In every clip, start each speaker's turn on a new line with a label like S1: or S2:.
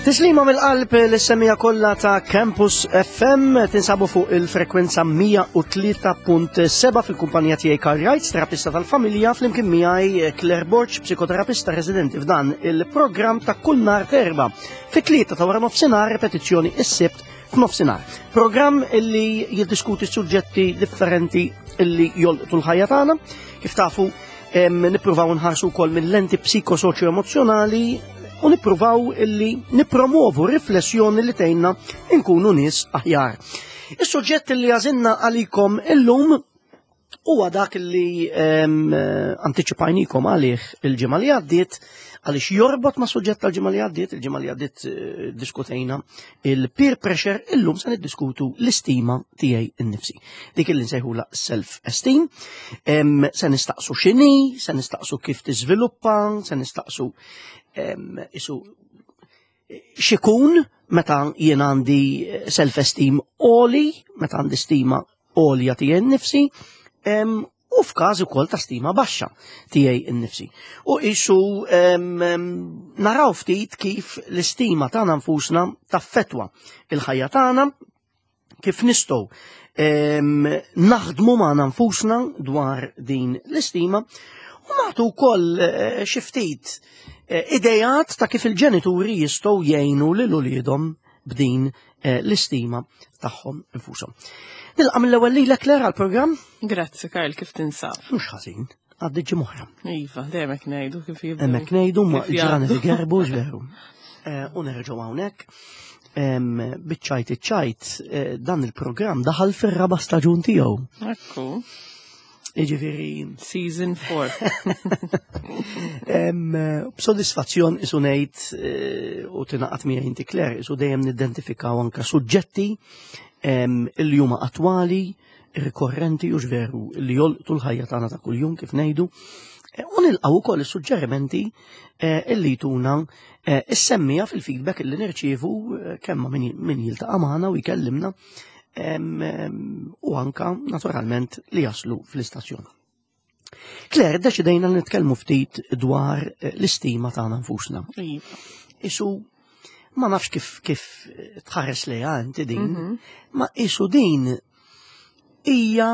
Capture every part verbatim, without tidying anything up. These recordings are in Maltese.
S1: Tislima mill-qalb lis-semmiegħa kollha ta' Campus F M. Tinsabu fuq il-frekwenza mija u tlieta punt seba' fil-kumpanija tiegħi Karl Wright, terapista tal-familja, flimkien miegħi Claire Borg, psikoterapista residenti, f'dan il-programm ta' kull nhar t'Erbgħa fit-tlieta ta' wara nofsinhar, repetizzjoni is-Sibt f'nofsinhar. Programm illi jiddiskuti suġġetti differenti illi jolqtu l-ħajja tagħna. Kif tafu, nippruvaw nħarsu wkoll minn lenti psikosoċjo emozjonali u nippruvaw illi nipromovu riflessjoni li tgħinna nkunu nies aħjar. Is-suġġett li għażilna għalikom illum huwa dak li antiċipajnikom għalih il-ġimgħa li għaddiet, għaliex jorbot ma' suġġett tal-ġimgħa li għaddiet. Il-ġimgħa li għaddiet eh, diskutejna il-peer pressure, illum se niddiskutu l-istima tiegħi innifsi. Dik li nsejħula self-esteem. Se nistaqsu x'inhi, se nistaqsu kif tiżviluppa, se nistaqsu isu x'ikun meta jien għandi self-esteem għoli, meta għandi stima għolja tiegħi nnifsi, u f'każ ukoll ta' stima baxxa tiegħi nnifsi. U isu naraw ftit kif l-istima tagħna nfusna taffetwa il-ħajja tagħna, kif nistgħu naħdmu magħna nfusna dwar din l-istima u nagħtu wkoll eh, xi ftit eh, idejat ta' kif il-ġenituri jistgħu jgħinu lil uliedhom b'din eh, l-istima tagħhom infushom. Nilqa' mill-ewwel lilek, Claire, għall-programm.
S2: Grazzi, Karl, kif tinsab?
S1: Mhux ħażin, għaddi ġimgħa oħra.
S2: Iva, dejjem hekk ngħidu kif jibdu.
S1: Hemmhekk ngħidu ma
S2: Kif
S1: ġranet
S2: jgħaddu.
S1: igerbu veru. U nerġgħu hawnhekk. Biċ-ċajt iċ-ċajt, eh, dan il-programm daħal fir-raba' staġun tiegħu.
S2: Ekku.
S1: Jiġifieri
S2: Season four.
S1: Em, B'sodisfazzjon isu ngħid eh, u tingħaqad miegħi inti, Claire, isu dejjem nidentifikaw anka suġġetti em, illi huma attwali, rikorrenti u veru li jolqtu l-ħajja tagħna ta' kuljum, kif ngħidu. Eh, U nilqgħu wkoll is-suġġerimenti eh, illi jtuna eh, is-semmiegħa fil-feedback illi nirċievu eh, kemm ma' min min jiltaqa' magħna u jkellimna em, em, u anka naturalment li jaslu fl-istazzjon. Claire, deċidejna li nitkellmu ftit dwar eh, l-istima tagħna nfusna.
S2: Iva.
S1: Isu ma nafx kif kif tħares lejha inti din,
S2: Mhm.
S1: ma isu din hija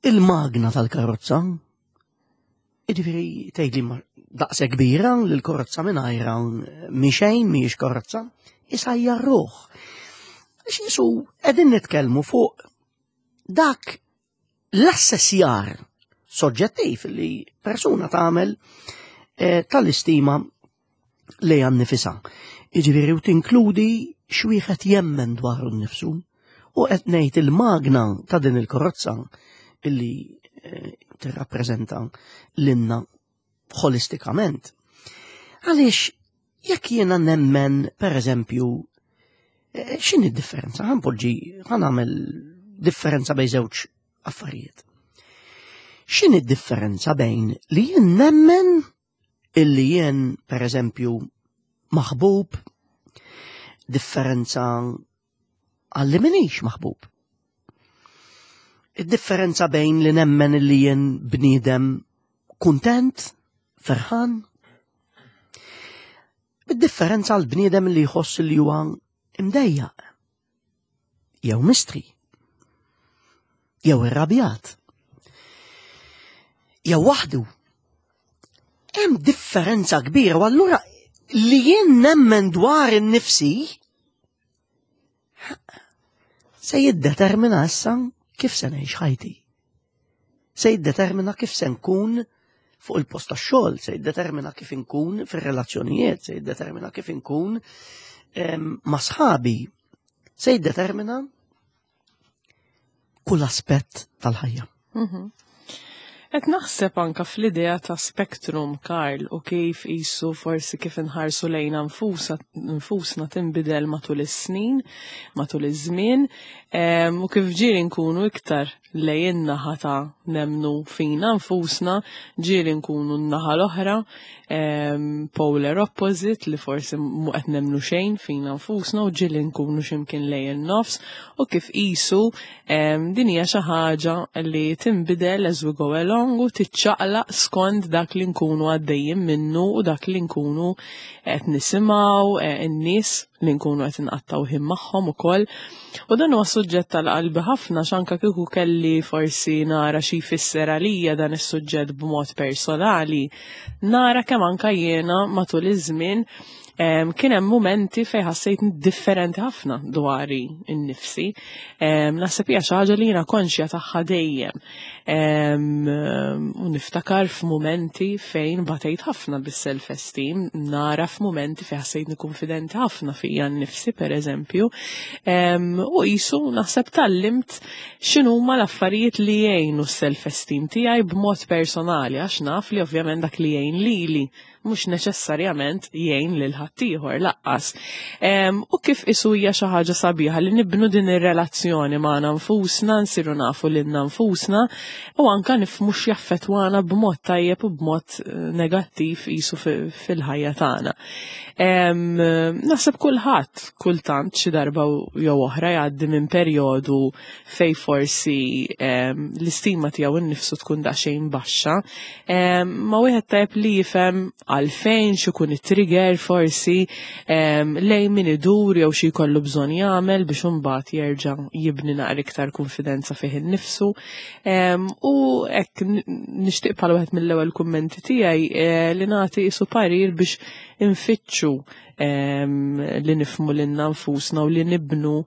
S1: il-magna tal-karozza. Jiġifieri tgħidli ma daqse kbira li l-karozza mingħajra mhi xejn, mhijiex karozza, issa hija r-ruħ. Għax isu qegħdin nitkellmu fuq dak l-assessjar soġġettiv li persuna tagħmel eh, tal-istima li nifisha. Jiġifieri u tinkludi x'wieħed jemmen dwaru nnifsu u qed ngħid il-magna ta' din il-karozza illi eh, tirrappreżenta lilna holistikament. Għaliex jekk jiena nemmen, per eżempju, eh, x'inhi d-differenza? Ħa npoġġi, ħa nagħmel differenza bejn żewġ affarijiet. X'inhi d-differenza bejn li jien nemmen illi jien, per eżempju, maħbub, differenza għalli m'iniex maħbub? Id-differenza bejn li nemmen illi jien bniedem kuntent, ferħan, id-differenza għal bniedem li jħoss li huwa imdejjaq, jew mistri, jew irrabjat, jew waħdu. Hemm differenza kbira u allura li jien nemmen dwar in-nifsi se jiddetermina issa kif se ngħix ħajti. Se jiddetermina kif se nkun fuq il-post tax-xogħol, se jiddetermina kif inkun fir-relazzjonijiet, se jiddetermina kif inkun em, ma' sħabi, se jiddetermina kull aspett tal-ħajja.
S2: Mhm. Qed naħseb anka fl-idea ta' spectrum, Karl, u kif isu forsi kif inħarsu lejna nfusa, nfusna tinbidel matul is-snin, matul iż-żmien, em, u kif ġieli nkunu iktar lejn naħa ta' nemnu fina nfusna, ġieli nkunu n-naħa l-oħra, em, polar opposite, li forsi mu qed nemnu xejn fina nfusna, u ġieli nkunu x'imkien lejn il-nofs, u kif isu em, din hija xi ħaġa li tinbidel as we go along. along u tiċċaqlaq skont dak li nkunu għaddejjin minnu u dak li nkunu qed nisimgħu eh, in-nies li nkunu qed inqattgħu ħin magħhom ukoll. U dan huwa suġġett tal-qalbi ħafna x'anka kieku kelli forsi nara xi jfisser għalija dan is-suġġett b'mod personali, nara kemm anka jiena matul iż-żmien kien hemm momenti fejn ħassejt differenti ħafna dwari innifsi. Naħseb hija xi ħaġa li jiena konxja tagħha dejjem. U niftakar f'mumenti fejn batejt ħafna bis-self esteem, nara f'mumenti fejn ħassejtni konfidenti ħafna fija nnifsi pereżempju. U qisu naħseb tgħallimt x'inhuma l-affarijiet li jgħinu s-self esteem tiegħi b'mod personali, għax naf li ovvjament dak li jgħin lili mhux neċessarjament jgħin lil ħaddieħor lanqas. U kif isu hija xi ħaġa sabiħa li nibnu din ir-relazzjoni magħna nfusna, nsiru nafu lilna nfusna u anka nifhmu x'jaffettwana b'mod tajjeb u b'mod eh, negattiv isu fil-ħajja tagħna. Naħseb kulħadd kultant xi darba jew oħra jgħaddi minn perjodu fej forsi l-istima tiegħu innifsu tkun daqsxejn baxxa, ma wieħed tajjeb li jifhem għalfejn, x'ikun it-trigger forsi, lejn min idur jew xi jkollu bżonn jagħmel biex imbagħad jerġa' jibni naqra iktar konfidenza fih innifsu. U hekk nixtieq bħala wieħed mill-ewwel kummenti tiegħi eh, li nagħti isu parir biex infittxu li nifhmu lilna nfusna u li nibnu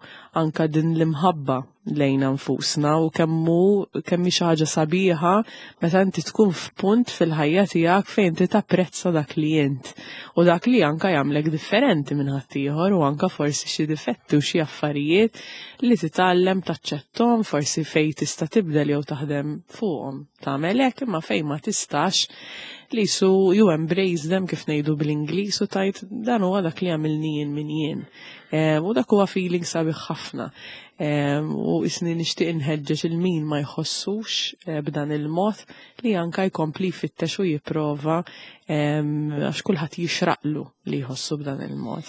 S2: anka din l-imħabba lejna nfusna u kemmu kemm xi ħaġa sabiħa meta inti tkun f'punt fil-ħajja tiegħek fejn inti tapprezza dak li int u dak li anka jagħmlek differenti minn ħaddieħor u anka forsi xi difetti u xi affarijiet li titgħallem taċċettom, forsi fejn tista' tibdel jew taħdem fuqhom tagħmel hekk, imma fejn ma tistax li su you embrace them, kif ngħidu bl-Ingliż, u tgħid dan huwa dak li għamilni jien min jien. U dak huwa feeling sabiħ ħafna. U isni nixtieq inħeġġeġ il min ma jħossux eh, b'dan il-mod li anka jkompli jfittex u jipprova, għax kulħadd jixraqlu li jħossu b'dan il-mod.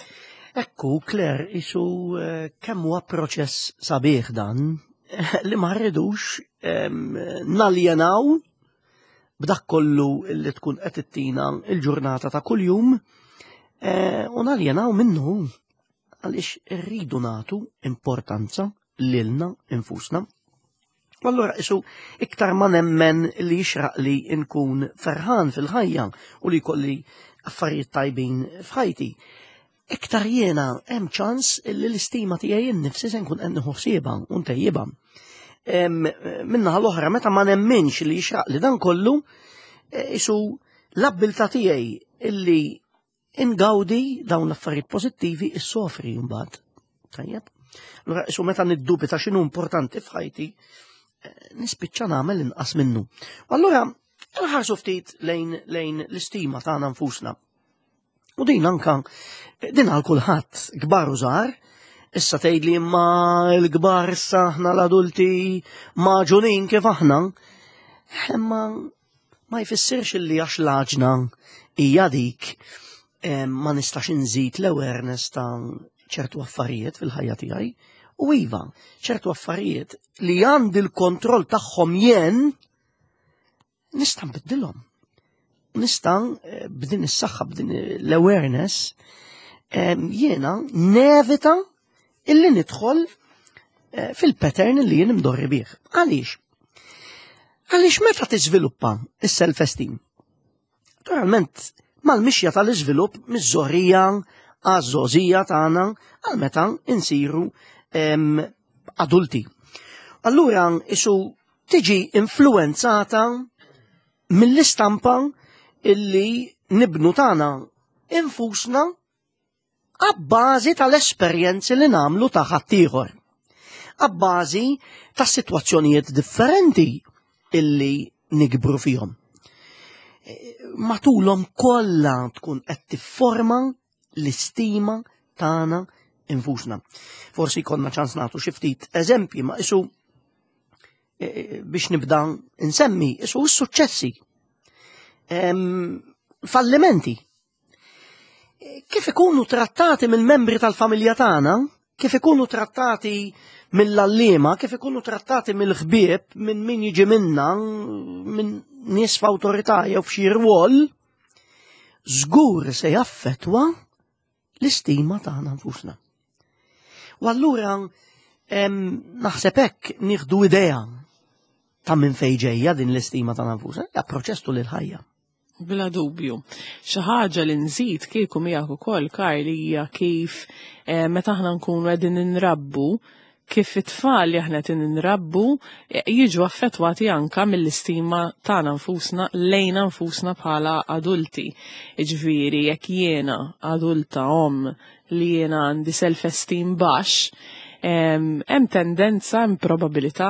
S1: Ekku, Claire, isu eh, kemm huwa proċess sabiħ dan li ma rridux naljenaw b'dak kollu li tkun qed ittina il-ġurnata ta' kuljum eh, u naljenaw minnu, għaliex irridu nagħtu importanza lilna infusna. U allura isu iktar ma nemmen li jixraq li nkun ferħan fil-ħajja u li jkolli affarijiet tajbin f'ħajti, iktar jiena hemm ċans li l-istima tiegħi nnifsi se nkun qed nieħu ħsiebha u ntejjibha. Min-naħa l-oħra, meta ma nemminx li jixraq li dan kollu, e, isu l-abbiltà tiegħi illi ingawdi dawn l-affarijiet pożittivi issofri mbagħad. Tajjeb. Allura isu meta niddubita x'inhu importanti f'ħajti, eh, nispiċċa nagħmel inqas minnu. U allura nħarsu ftit lejn lejn l-istima tagħna nfusna. U din anka din għal kulħadd, kbar u żgħar. Issa tgħidli imma l-kbar, issa aħna l-adulti magħġunin kif aħna. Imma ma jfissirx illi għax l-għaġna hija dik eh, ma nistax inżid l-awareness ta' ċertu affarijiet fil-ħajja tiegħi. U iva, ċertu affarijiet li għandi l-kontroll tagħhom jien nista' nbiddilhom. Nista' eh, b'din is-saħħa, b'din l-awareness, eh, jiena nevita illi nidħol eh, fil-pattern li jien imdorri bih. Għaliex? Għaliex meta tiżviluppa is-self-esteem? Naturalment, mal-mixja tal-iżvilupp miż-żgħorija għaż-żgħożija tagħna għal meta insiru em, adulti. Allura isu tiġi influenzata mill-istampa illi nibnu tagħna infusna abbażi tal-esperjenzi li nagħmlu ta' ħaddieħor. Abbażi ta' sitwazzjonijiet differenti illi nikbru fihom. Matulhom kollha tkun qed tifforma l-istima tagħna infusna. Forsi konna ċans nagħtu xi ftit eżempji, ma isu e, biex nibda nsemmi isu s-suċċessi. Em, fallimenti. Kif ikunu trattati mill-membri tal-familja tagħna, kif ikunu trattati mill-għalliema, kif ikunu trattati mill-ħbieb, minn min jiġi minna, minn nies f'awtorità jew f'xi rwol, żgur se jaffettwa l-istima tagħna nfusna. U allura naħseb hekk nieħdu idea ta' minn fejn ġejja din l-istima tagħna nfusna, hija proċess tul il-ħajja.
S2: Bla dubju. Xi ħaġa li nżid kieku miegħek ukoll, Karl, hija kif eh, meta aħna nkunu qegħdin inrabbu, kif it-tfal li aħna qed nrabbu eh, jiġu affettwati anka mill-istima tagħna nfusna lejna nfusna bħala adulti. Jiġifieri jekk jiena adulta om li jiena għandi self-esteem baxx, hemm tendenza, hemm probabilità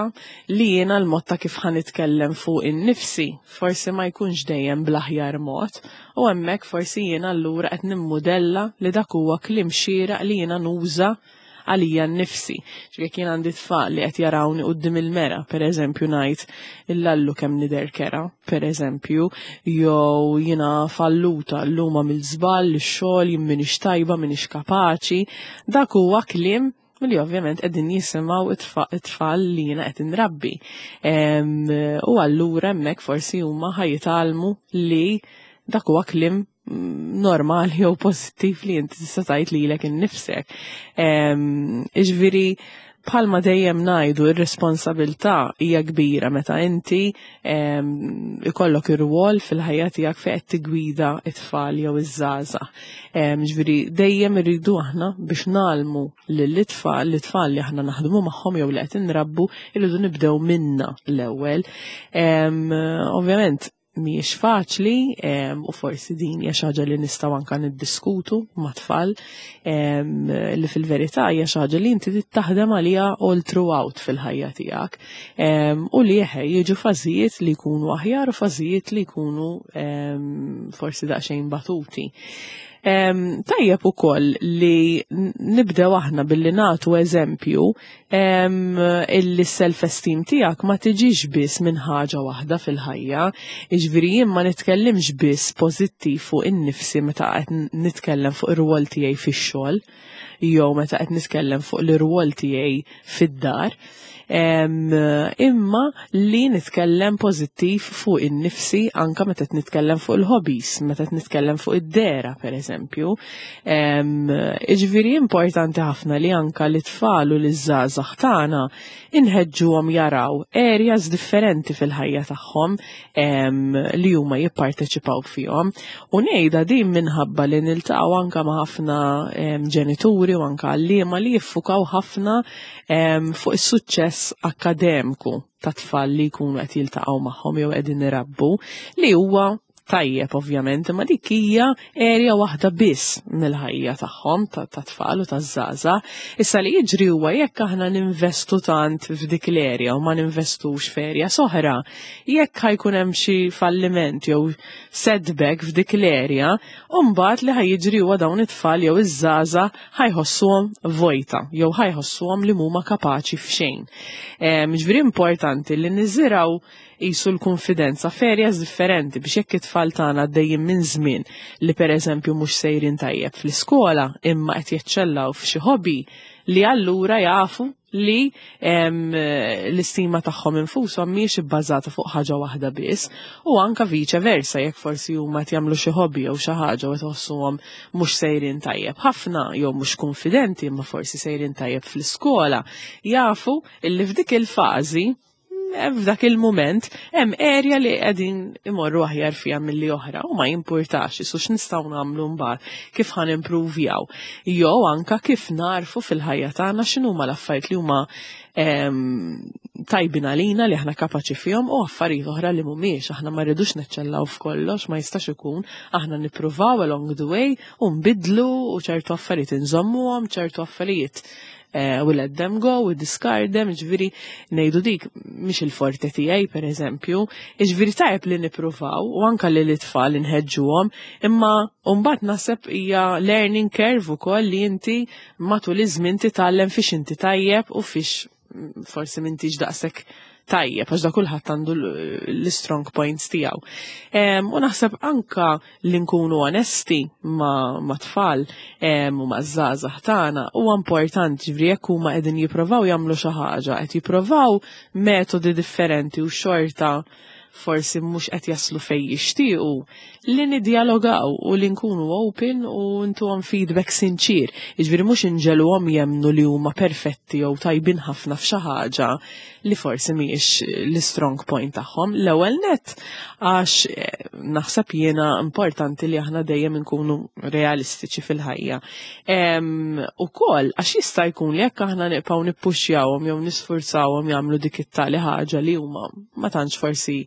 S2: li jiena l-mod ta' kif ħa nitkellem fuq innifsi forsi ma jkunx dejjem bl-aħjar mod u hemmhekk forsi jiena allura qed nimmudella li dak huwa kliem xieraq li jiena nuża għalija nnifsi. Ġifieri jien għandi tfal li qed jarawni quddiem il-mera, per eżempju ngħid illallu kemm nidher kerha, per eżempju, jew jiena falluta llum għamilt żball, ix-xogħol, jien m'iniex tajba, m'iniex kapaċi, dak huwa kliem li ovvjament qegħdin jisimgħu it-tfal li jiena qed inrabbi. U allura hemmhekk forsi huma ħa jitgħallmu li dak huwa kliem normali jew pożittiv li inti tista' tgħid lilek innifsek. Jiġifieri bħalma dejjem ngħidu, ir-responsabilità hija kbira meta inti ikollok ir-rwol fil-ħajja tiegħek fejn qed tigwida it-tfal jew iż-żgħażagħ. Ġifieri dejjem irridu aħna biex ngħallmu lill-itfal, l-itfal li aħna naħdmu magħhom jew li qed inrabbu, irridu nibdew minna l-ewwel. Ovvjament mhijiex faċli u forsi din hija xi ħaġa li nistgħu anke niddiskutu mat-tfal, li fil-verità hija xi ħaġa li inti trid taħdem għaliha all throughout fil-ħajja tiegħek u li eħe jiġu fażijiet li jkunu aħjar u fażijiet li jkunu forsi daqsxejn batuti. Tajjeb ukoll li nibdew aħna billi nagħtu eżempju illi self-esteem tiegħek ma tiġix biss minn ħaġa waħda fil-ħajja. Jiġifieri jien ma nitkellimx biss pożittiv fuq innifsi meta qed nitkellem fuq ir-rwol tiegħi fix-xogħol jew meta qed nitkellem fuq l-irwol tiegħi fid-dar, imma li nitkellem pożittiv fuq in-nifsi anka meta qed nitkellem fuq il-hobbies, meta qed nitkellem fuq id-dehra, per eżempju. Jiġifieri importanti ħafna li anka l-tfal u l-żgħażagħ tagħna inħeġġuhom jaraw areas differenti fil-ħajja tagħhom li huma jipparteċipaw fihom. U ngħidha din minħabba li niltaqgħu anka ma' ħafna ġenituri u anka għalliema li jiffukaw ħafna fuq is-suċċess akkademiku ta' tfal li jkunu qed jiltaqgħu magħhom jew qegħdin irabbu, li huwa tajjeb ovvjament, imma dik hija area waħda biss mill-ħajja tagħhom ta' tfal u taż-żgħażagħ. Issa li jiġri huwa jekk aħna ninvestu tant f'dik l-area u ma ninvestux f'area oħra, jekk ħa jkun hemm xi falliment jew setback f'dik l-area, u mbagħad li ħa jiġri huwa dawn it-tfal jew iż-żgħażagħ ħa jħossuhom vojta jew ħa jħossuhom li mhuma kapaċi f'xejn. Ġifieri importanti li niżirgħu qisu l-konfidenza f'areas differenti biex jekk it-tfal tagħna għaddejjin minn żmien li pereżempju mhux sejrin tajjeb fl-iskola imma qed jeċċellaw f'xi hobby, li allura jafu li l-istima tagħhom infushom mhijiex ibbażata fuq ħaġa waħda biss, u anka vice versa jekk forsi huma qed jagħmlu xi hobby jew xi ħaġa u tħossuhom mhux sejrin tajjeb ħafna jew mhux konfidenti imma forsi sejrin tajjeb fl-iskola, jafu illi f'dik il-fażi, f'dak il-moment, hemm area li qegħdin imorru aħjar fiha milli oħra u ma jimpurtax isu x'nistgħu nagħmlu mbagħad, kif ħa nimpruvjaw. Jew anka kif narfu fil-ħajja tagħna x'inhuma l-affarijiet li huma tajbin għalina, li aħna kapaċi fihom, u affarijiet oħra li mhumiex. Aħna ma rridux neċċellaw f'kollox, ma jistax ikun. Aħna nippruvaw along the way u nbidlu, u ċertu affarijiet inżommuhom, ċertu affarijiet uh, we let them go, we discard them, ġifieri ngħidu dik mhix il-forte tiegħi, per eżempju, ġifieri tajjeb li nippruvaw u anka li l-itfal inħeġġuhom, imma mbagħad naħseb hija learning curve ukoll li inti matul iż-żmien titgħallem fiex inti tajjeb u fiex forsi m'intix daqshekk tajjeb, għax da kulħadd għandu l-strong points tiegħu. U naħseb anka li nkunu onesti ma, ma tfal u ma' żgħażagħ tagħna huwa importanti, ġifieri jekk huma qegħdin jippruvaw jagħmlu xi ħaġa, qed jippruvaw metodi differenti u xorta forsi mhux qed jaslu fejn jixtiequ, li niddialogaw u li nkunu open u ntuhom feedback sinċir. Jiġifieri mhux inġegħluhom jemmnu li huma perfetti jew tajbin ħafna f'xi ħaġa li forsi mhijiex l-strong point tagħhom. L-ewwel net għax eh, naħseb jiena importanti li aħna dejjem nkunu realistiċi fil-ħajja. Ukoll għax jista' jkun li jekk aħna nibqgħu nippuxjawhom jew nisfurzawhom jagħmlu dik it-tali ħaġa li huma ma tantx forsi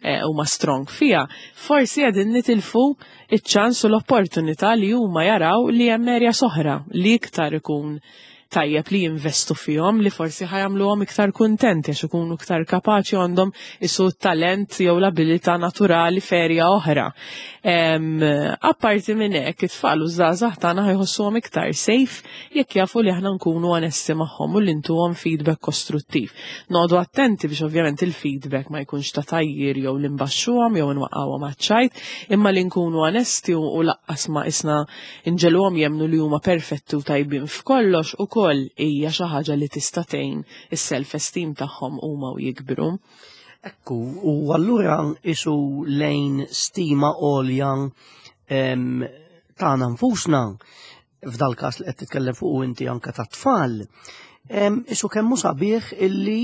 S2: eh, huma strong fija, forsi qegħdin nitilfu iċ-ċans u l-opportunità li huma jaraw li hemm area oħra li iktar ikun tajjeb li jinvestu fihom, li forsi ħa jagħmluhom iktar kuntenti għax ikunu iktar kapaċi, għandhom isu talent jew l-abilità naturali f'area oħra. Apparti minn hekk, it-tfal u żgħażagħ tagħna ħa jħossuhom iktar safe jekk jafu li aħna nkunu onesti magħhom u li ntuhom feedback kostruttiv. Noqogħdu attenti biex ovvjament il-feedback ma jkunx ta' tgħajjir jew li nbaxxuhom jew nwaqqawhom għaċ-ċajt, imma li nkunu onesti u lanqas ma isna nġegħluhom jemmnu li huma perfetti u tajbin f'kollox ukoll hija xi ħaġa li tista' tgħin is-self-esteem tagħhom huma u jikbru.
S1: Ekku, u allura isu lejn stima għolja tagħna nfusna, f'dal każ li qed titkellem fuq inti anke ta' tfal, isu kemm hu sabiħ illi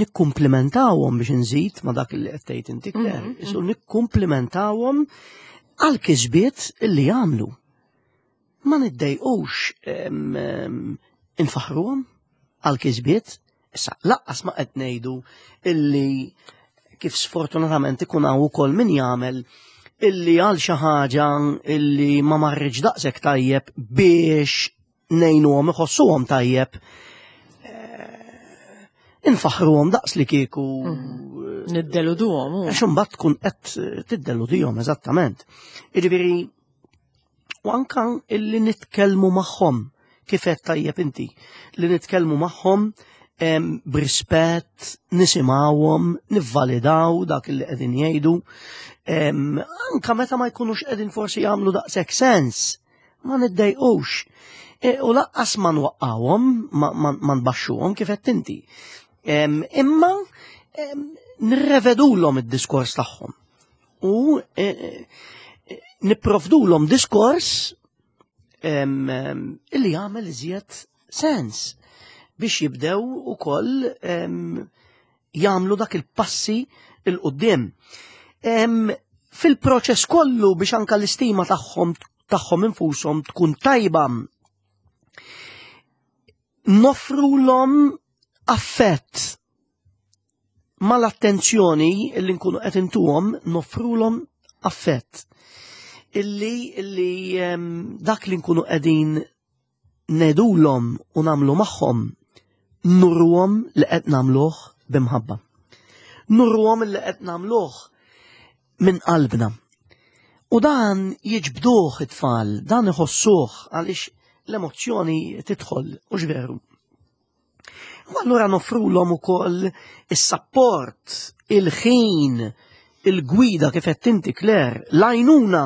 S1: nikkumplimentawhom, biex nżid ma dak li qed tgħid inti, Claire, mhm, isu mhm. nikkumplimentawhom għal kisbiet illi jagħmlu. Ma niddejqux infaħruhom għal kisbiet. Issa, lanqas ma qed ngħidu illi, kif sfortunatament ikun hawn ukoll min jagħmel, illi għal xi ħaġa illi ma marriġ daqshekk tajjeb, biex ngħinuhom iħossuhom tajjeb, eh, infaħruhom daqs li kieku
S2: mhm. niddeluduhom.
S1: Għax imbagħad tkun qed tiddeludihom, eżattament. Jiġifieri u anka illi nitkellmu magħhom, kif qed tajjeb inti, li nitkellmu magħhom b'rispett, nisimgħuhom, nivvalidaw dak li qegħdin jgħidu, anka meta ma jkunux qegħdin forsi jagħmlu daqshekk sens, ma niddejqux. E, u lanqas ma nwaqqawhom, ma nbaxxuhom, kif qed inti. Imma nirrevedulhom id-diskors tagħhom. U e, e, nipprovdulhom diskors illi jagħmel iżjed sens biex jibdew ukoll jagħmlu dak il-passi 'l quddiem. Fil-proċess kollu biex anka l-istima tagħhom tagħhom infushom tkun tajba, noffrulhom affett mal-attenzjoni illi nkunu qed intuhom, noffrulhom affett. Illi illi dak li nkunu qegħdin ngħidulhom u nagħmlu magħhom, nuruhom li qed nagħmluh b'imħabba. Nuruhom li qed nagħmluh minn qalbna. U dan jiġbduh it-tfal, dan iħossuh, għaliex l-emozzjoni tidħol, u veru. U allura noffrulhom ukoll is-support, il-ħin, il-gwida, kif qed inti, Claire, l-għajnuna,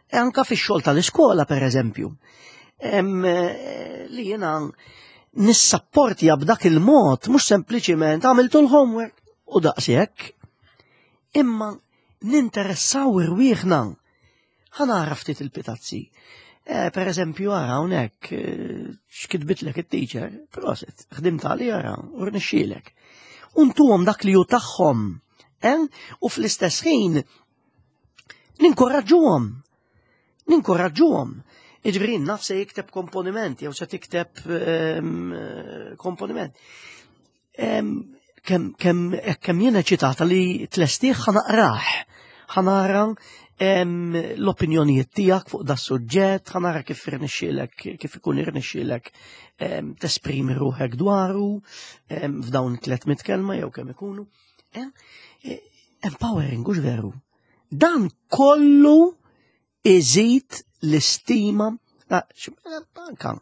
S1: e anka fix-xogħol tal-iskola, per eżempju. Li jiena nissapportja b'dak il-mod, mhux sempliċiment għamiltu l-homework u daqshekk, imma ninteressaw irwieħna. Ħa nara ftit il-pitazzi. Eh, per eżempju, ara hawnhekk eh, x'kitbitlek it-teacher, prosit, ħdimt għali, ara, u rnexxielek. U ntuhom dak li hu tagħhom, eh? U fl-istess ħin ninkoraġġuhom. Ninkoraġġuhom. Jiġifieri naf se jikteb komponiment jew se tikteb ehm, komponiment. Ehm, kemm kemm kemm jiena eċitata li tlestih, ħa naqrah. Ħa nara l-opinjonijiet tiegħek fuq da suġġett, ħa nara kif irnexxielek, kif ikun irnexxielek tesprimi ruħek dwaru f'dawn tliet mitt kelma jew kemm ikunu. E, empowering, hux veru? Dan kollu iżid l-istima. Anka,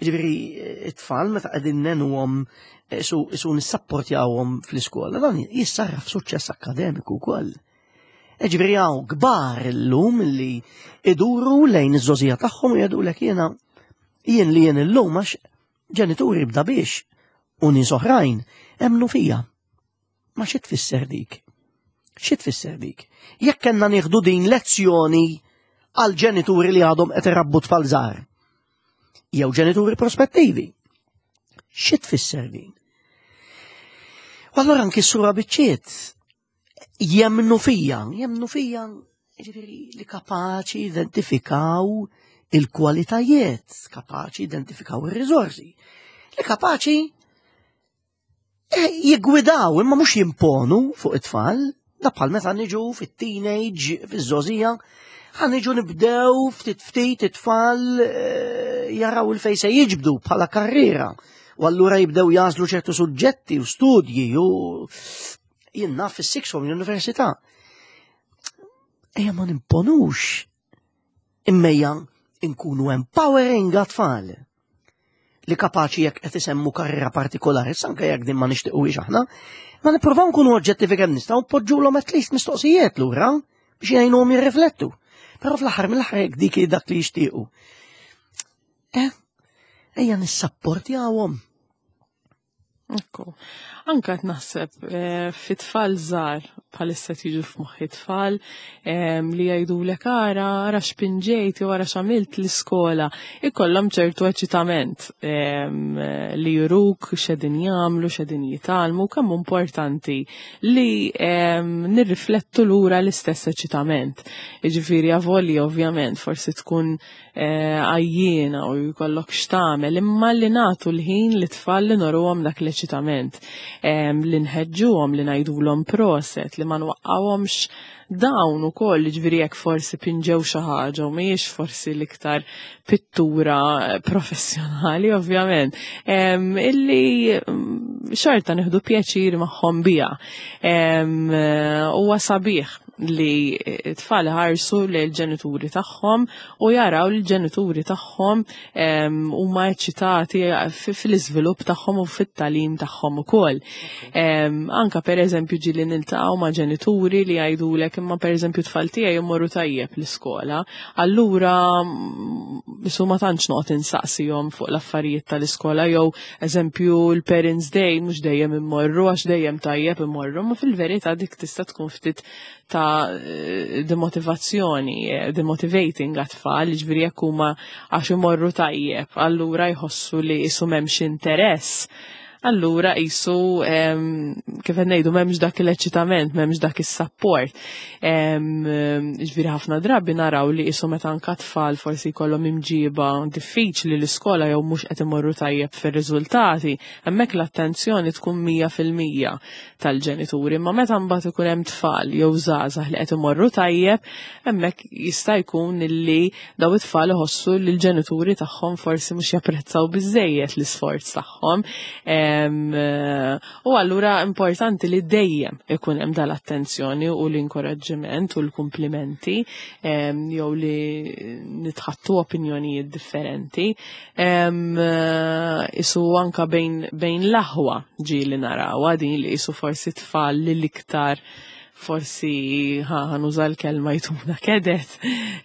S1: ġifieri, it-tfal meta qegħdin ngħinuhom isu nissapportjawhom fl-iskola, dan jissarraf suċċess akademiku wkoll. Ġifieri hawn kbar illum li iduru lejn iż-żgħożija tagħhom u jgħidulek, "Jiena jien li jien illum għax ġenituri bda biex u nies oħrajn emmnu fija." Ma xi tfisser dik? Xi tfisser dik? Jekk kellna nieħdu din lezzjoni għal ġenituri li għadhom qed irabbu tfal żgħar. Jew ġenituri prospettivi. Xi tfisser din? U allura nkissruha biċċiet. Jemmnu fija, jemmnu fija, ġifieri li kapaċi identifikaw il-kwalitajiet, kapaċi identifikaw il-riżorsi, li kapaċi eh, jiggwidaw imma mhux jimponu fuq it-tfal, da bħal meta niġu fit-teenage, fiż-żgħożija, ħa niġu nibdew ftit ftit it-tfal eh, jaraw 'il fejn se jiġbdu bħala karriera. U allura jibdew jagħżlu ċertu suġġetti u studji u jien naf fis-sixth form l-università. Ejja ma nimponux imma ejja nkunu empowering għat-tfal li kapaċi jekk qed isemmu karriera partikolari, anke jekk din ma nixtiequhiex aħna, ma nippruvaw nkunu oġġettivi kemm nistgħu npoġġulhom at least mistoqsijiet lura biex jgħinuhom jirriflettu. Però fl-aħħar mill-aħħar jekk dik dak li jixtiequ. Eh, ejja nissapportjawhom.
S2: Ekku. Anka qed naħseb eh, fit-tfal żgħar bħalissa tiġu f'moħħi tfal em, li jgħidulek ara ara x'pinġejt jew ara x'għamilt l-iskola. Ikollhom ċertu eċitament em, li juruk x'qegħdin jagħmlu, x'qegħdin jitgħallmu, kemm importanti li em, nirriflettu lura l-istess eċitament. Jiġifieri avolja ovvjament forsi tkun eh, għajjiena u jkollok x'tagħmel, imma li nagħtu l-ħin li tfal li nuruhom dak l-eċitament, em, li nħeġġuhom, li ngħidulhom proset, li ma nwaqqawhomx dawn ukoll, ġifieri jekk forsi pinġew xi ħaġa u mhijiex forsi l-iktar pittura professjonali ovvjament, em, illi mm, xorta nieħdu pjaċir magħhom biha. Em, Huwa sabiħ li t-tfal ħarsu l-ġenituri tagħhom u jaraw li l-ġenituri tagħhom em, huma eċitati fi- fil-iżvilupp tagħhom u fit-tagħlim tagħhom ukoll. Em, Anka per eżempju ġieli niltaqgħu ma' ġenituri li jgħidulek imma per eżempju tfal tiegħi jmorru tajjeb l-iskola, allura mm, isu ma tantx noqgħod insaqsihom fuq l-affarijiet tal-iskola jew eżempju l-Parents Day mhux dejjem immorru għax dejjem tajjeb immorru, ma fil-verità dik tista' tkun ftit ta' eh, demotivazzjoni, eh, demotivating għat-tfal, ġifieri jekk huma għax imorru tajjeb, allura jħossu li isu m'hemmx interess. Allura isu em, kif qed ngħidu m'hemmx dak l-eċitament, m'hemmx dak is-support. Em, Ġifieri ħafna drabi naraw li isu meta anka tfal forsi jkollhom imġiba diffiċli l-iskola jew mhux qed imorru tajjeb fir-riżultati, hemmhekk l-attenzjoni tkun mija fil-mija tal-ġenituri, imma meta mbagħad ikun hemm tfal jew żgħażagħ li qed imorru tajjeb, hemmhekk jista' jkun illi daw it-tfal iħossu li l-ġenituri tagħhom forsi mhux japprezzaw biżejjed l-isforz tagħhom. Em, eh, U allura importanti li dejjem ikun hemm dal-attenzjoni u l-inkoraġġiment u l-kumplimenti em, jew li nitħattu opinjonijiet differenti. Em, eh, Isu anka bejn, bejn l-aħwa ġieli narawha din li isu forsi tfal li l-iktar forsi ħa ħa nuża l-kelma jtuna kedet.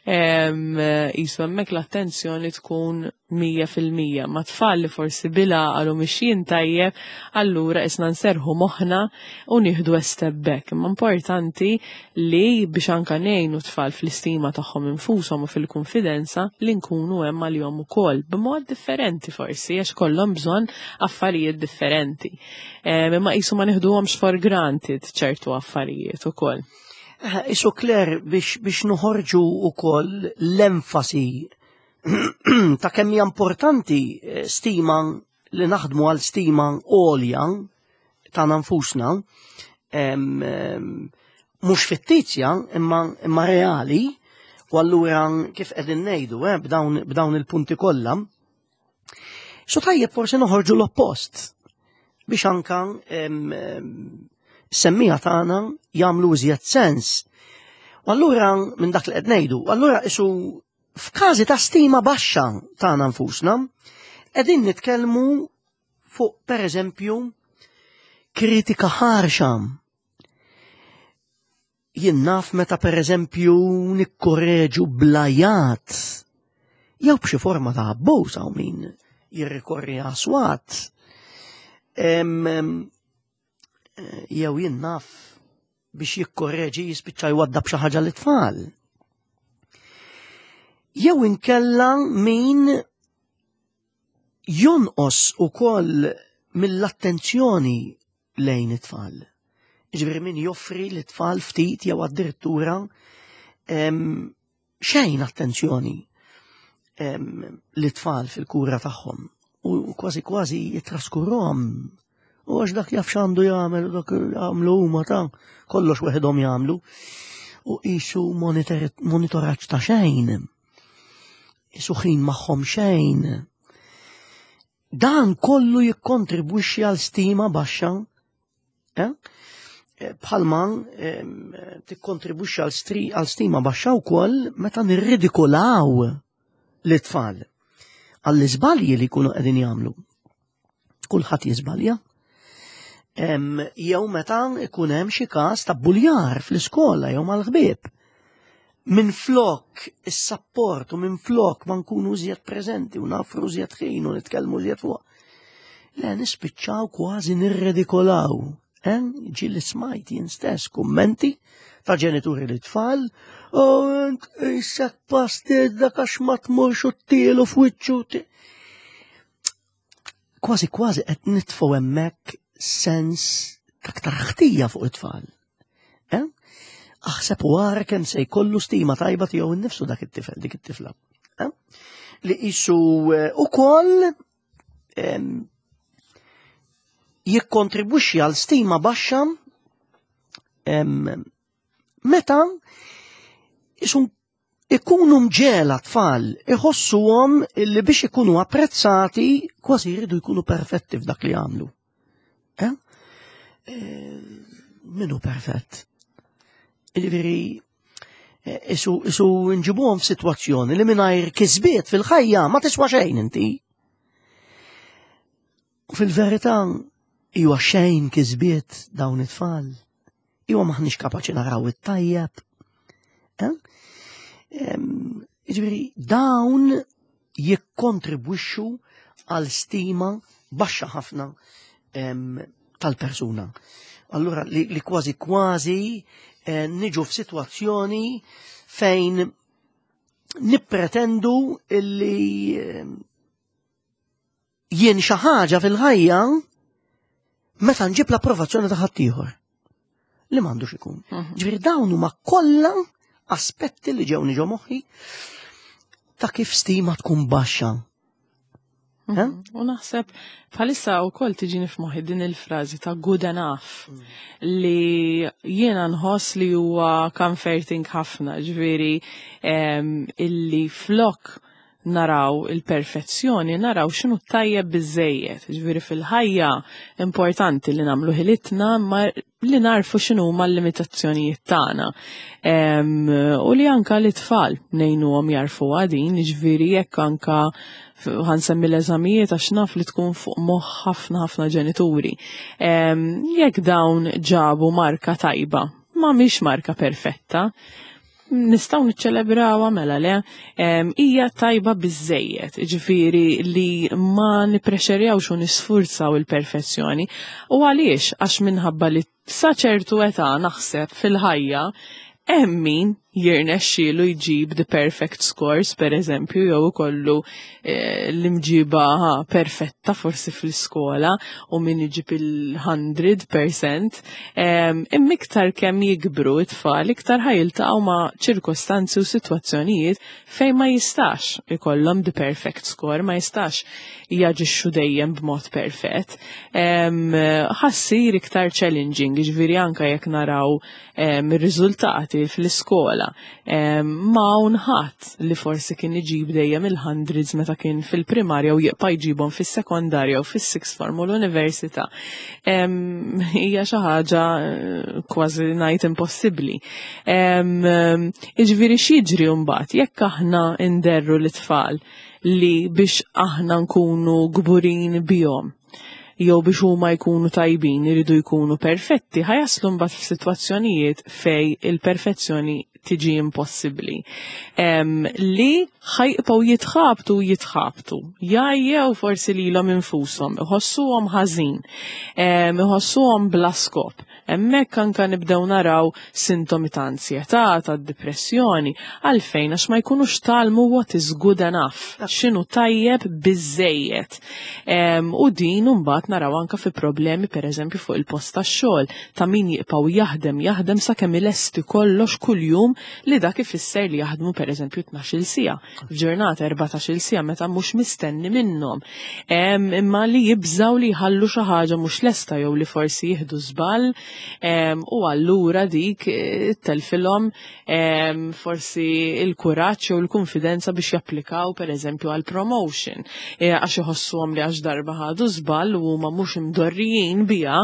S2: Em, Isu hemmhekk l-attenzjoni tkun mija fil-mija. Ma tfal li forsi bila għalu mixjin tajjeb, allura isna nserħu moħna u nieħdu step back. Imma importanti li biex anka ngħinu tfal fl-istima tagħhom infushom u fil-konfidenza li nkunu hemm għalihom ukoll b'mod differenti forsi għax kollhom bżonn affarijiet differenti. Em, Imma qisu ma nieħduhomx for granted ċertu affarijiet ukoll.
S1: Eh, Isu Claire biex, biex noħorġu ukoll l-enfasi ta' kemm hija importanti eh, stima li naħdmu għal stima għolja ta' nfusna, em, em, mhux fittizja imma, imma reali, u allura kif qegħdin ngħidu eh, b'dawn, b'dawn il-punti kollha. So tajjeb forsi noħorġu l-oppost biex anka em, em, semmija tagħna jagħmlu iżjed sens. U allura minn dak li qed ngħidu, allura isu f'każi ta' stima baxxa tagħna nfusna, qegħdin nitkellmu fuq pereżempju kritika ħarxa. Jien naf meta pereżempju nikkorreġu bl-għajat jew b'xi forma ta' abbuż hawn min jirrikorri għas-swat. Em, em, Jew jien naf, biex jikkorreġi jispiċċa jwaddab xi ħaġa lit-tfal. Jew inkella min jonqos ukoll mill-attenzjoni lejn it-tfal. Ġifieri min joffri lit-tfal ftit jew addirittura xejn attenzjoni lit-tfal fil-kura tagħhom u kważi kważi jitraskurhom, u għax dak jaf x'għandu jagħmel u dak jagħmlu huma, ta' kollox weħidhom jagħmlu, u qisu monitoraġġ ta' xejn. Qisu ħin magħhom xejn. Dan kollu jikkontribwixxi għal stima baxxa, eh? Bħalma tikkontribwixxi għal stima baxxa wkoll meta nirridikolaw l-tfal għall-iżbalji li jkunu qegħdin jagħmlu. Kulħadd jiżbalja. Jew meta ikun hemm xi każ ta' buljar fl-iskola jew mal-ħbieb. Min flok is-sapport u minn flok ma nkunu iżjed preżenti u nafru iżjed ħin u nitkellmu iżjed fuq. Le, nispiċċaw kważi nirredikolaw. Ġieli smajt jien stess kummenti ta' ġenituri lit-tfal, "U int qisek pastizz dak għax ma tmurx u ttilu f'wiċċu." Kważi kważi qed nitfgħu hemmhekk sens ta' aktar ħtija fuq it-tfal. Eh? Aħseb u ara kemm se jkollu stima tajba tiegħu innifsu dak it-tifel, dik it-tifla. Eh? Li qisu eh, ukoll jikkontribwixxi għal stima baxxa meta qisu ikunu mġegħla tfal iħossuhom li biex ikunu apprezzati kważi jridu jkunu perfetti f'dak li jagħmlu. Eh? Eh, min hu perfett? Ġifieri, eh, qisu, qisu nġibuhom f'sitwazzjoni li mingħajr kisbiet fil-ħajja ma tiswa xejn inti. U fil-verità huwa xejn kisbiet dawn it-tfal. Huwa m'aħniex kapaċi naraw it-tajjeb. Eh? Ġifieri, dawn jikkontribwixxu għal stima baxxa ħafna tal-persuna. Allura li, li kważi kważi eh, niġu f'sitwazzjoni fejn nippretendu illi jien xi ħaġa fil-ħajja meta nġib l-approvazzjoni ta' ħaddieħor. Li m'għandux ikun. Mhm. Ġifieri dawn huma kollha aspetti li ġew ġo moħħi ta' kif stima tkun baxxa. Eh?
S2: Mhm. U naħseb bħalissa wkoll tiġini f'moħħi din il-frażi ta' "good enough" li jiena nħoss li huwa comforting ħafna, ġifieri illi flok naraw il-perfezzjoni, naraw x'inhu tajjeb biżejjed. Ġifieri fil-ħajja importanti li nagħmlu ħilitna, ma li narfu x'inhu ma l-limitazzjonijiet tagħna. U li anka l-tfal ngħinuhom jarfu din, ġifieri jekk anka ħa nsemmi l-eżamijiet għax naf li tkun fuq moħħ ħafna ħafna ġenituri. Jekk dawn ġabu marka tajba, ma mhix marka perfetta, nistgħu niċċelebrawha, mela le, hija tajba biżejjed, ġifieri li ma nipprexerjawx u nisfurzaw il-perfezzjoni. U għaliex? Għax minħabba li sa ċertu età naħseb fil-ħajja hemm min jirnexxielu jġib the perfect scores, per eżempju, jew ikollu eh, l-imġiba perfetta forsi fl-iskola u min iġib il-mija fil-mija. Imma iktar kemm jikbru it-tfal, iktar ħa jiltaqgħu ma' ċirkostanzi u sitwazzjonijiet fejn ma jistax ikollhom the perfect score, ma jistax jaġixxu dejjem b'mod perfett. Ħa ssir iktar challenging, ġifieri anka jekk naraw ir-riżultati fl-iskola. Ma hawn ħadd li forsi kien iġib dejjem il-hundreds meta kien fil-primarja u jibqa' jġibhom fis-sekondarja u fis-sixth form u l-università. Hija xi ħaġa eh, kważi ngħid impossibbli. Jiġifieri x'jiġri mbagħad jekk aħna nderru l-tfal li biex aħna nkunu kburin bihom jew biex huma jkunu tajbin iridu jkunu perfetti, ħa jaslu mbagħad f'sitwazzjonijiet fej il-perfezzjoni tiġi impossibbli. Em, li ħa jibqgħu jitħabtu jitħabtu. Jgħajjew forsi lilhom infushom, iħossuhom ħażin, em, iħossuhom bla skop. Hemmhekk anka nibdew naraw sintomi ta' ansjetà, ta' depressjoni, għalfejn għax ma jkunux tgħallmu what is good enough, x'inhu tajjeb biżejjed. Em, U din mbagħad naraw anka fi problemi pereżempju fuq il-post tax-xogħol ta' min jibqgħu jaħdem jaħdem sakemm ilesti kollox kuljum li dak ifisser li jaħdmu pereżempju tnax-il siegħa, f'ġurnata erbatax-il siegħa meta mhux mistenni minnhom. Em, Imma li jibżaw li jħallu xi ħaġa mhux lesta jew li forsi jieħdu żball em, u allura dik eh, telfilhom em, forsi il-kuraġġ jew il-konfidenza biex japplikaw pereżempju għal promotion. E, għax iħossuhom li għax darba ħadu żball u huma mhux imdorrijin biha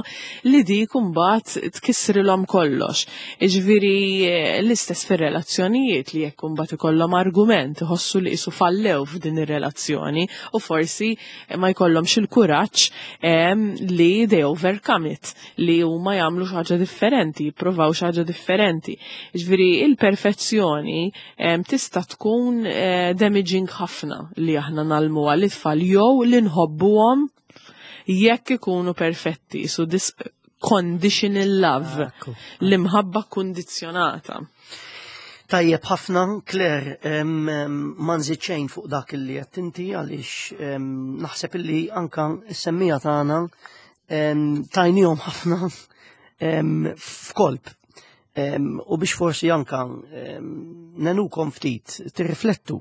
S2: li dik imbagħad tkissrilhom kollox. Jiġifieri eh, l-istess fir-relazzjonijiet li jekk imbagħad ikollhom argument iħossu li qisu fallew f'din ir-relazzjoni u forsi ma jkollhomx il-kuraġġ em, li they overcome it, li huma jagħmlu xi ħaġa differenti, jippruvaw xi ħaġa differenti. Jiġifieri il-perfezzjoni em, tista' tkun eh, damaging ħafna li aħna ngħallmuha lit-tfal jew li nħobbuhom jekk ikunu perfetti, so this conditional love,
S1: Ekku.
S2: l-imħabba kondizzjonata.
S1: Tajjeb ħafna, Claire, em, em, ma nżid xejn fuq dak li qed inti għaliex em, naħseb illi anka s-semmiegħa tagħna em, tajnihom ħafna em, f'kolp. Em, U biex forsi anka em, ngħinukom ftit tirriflettu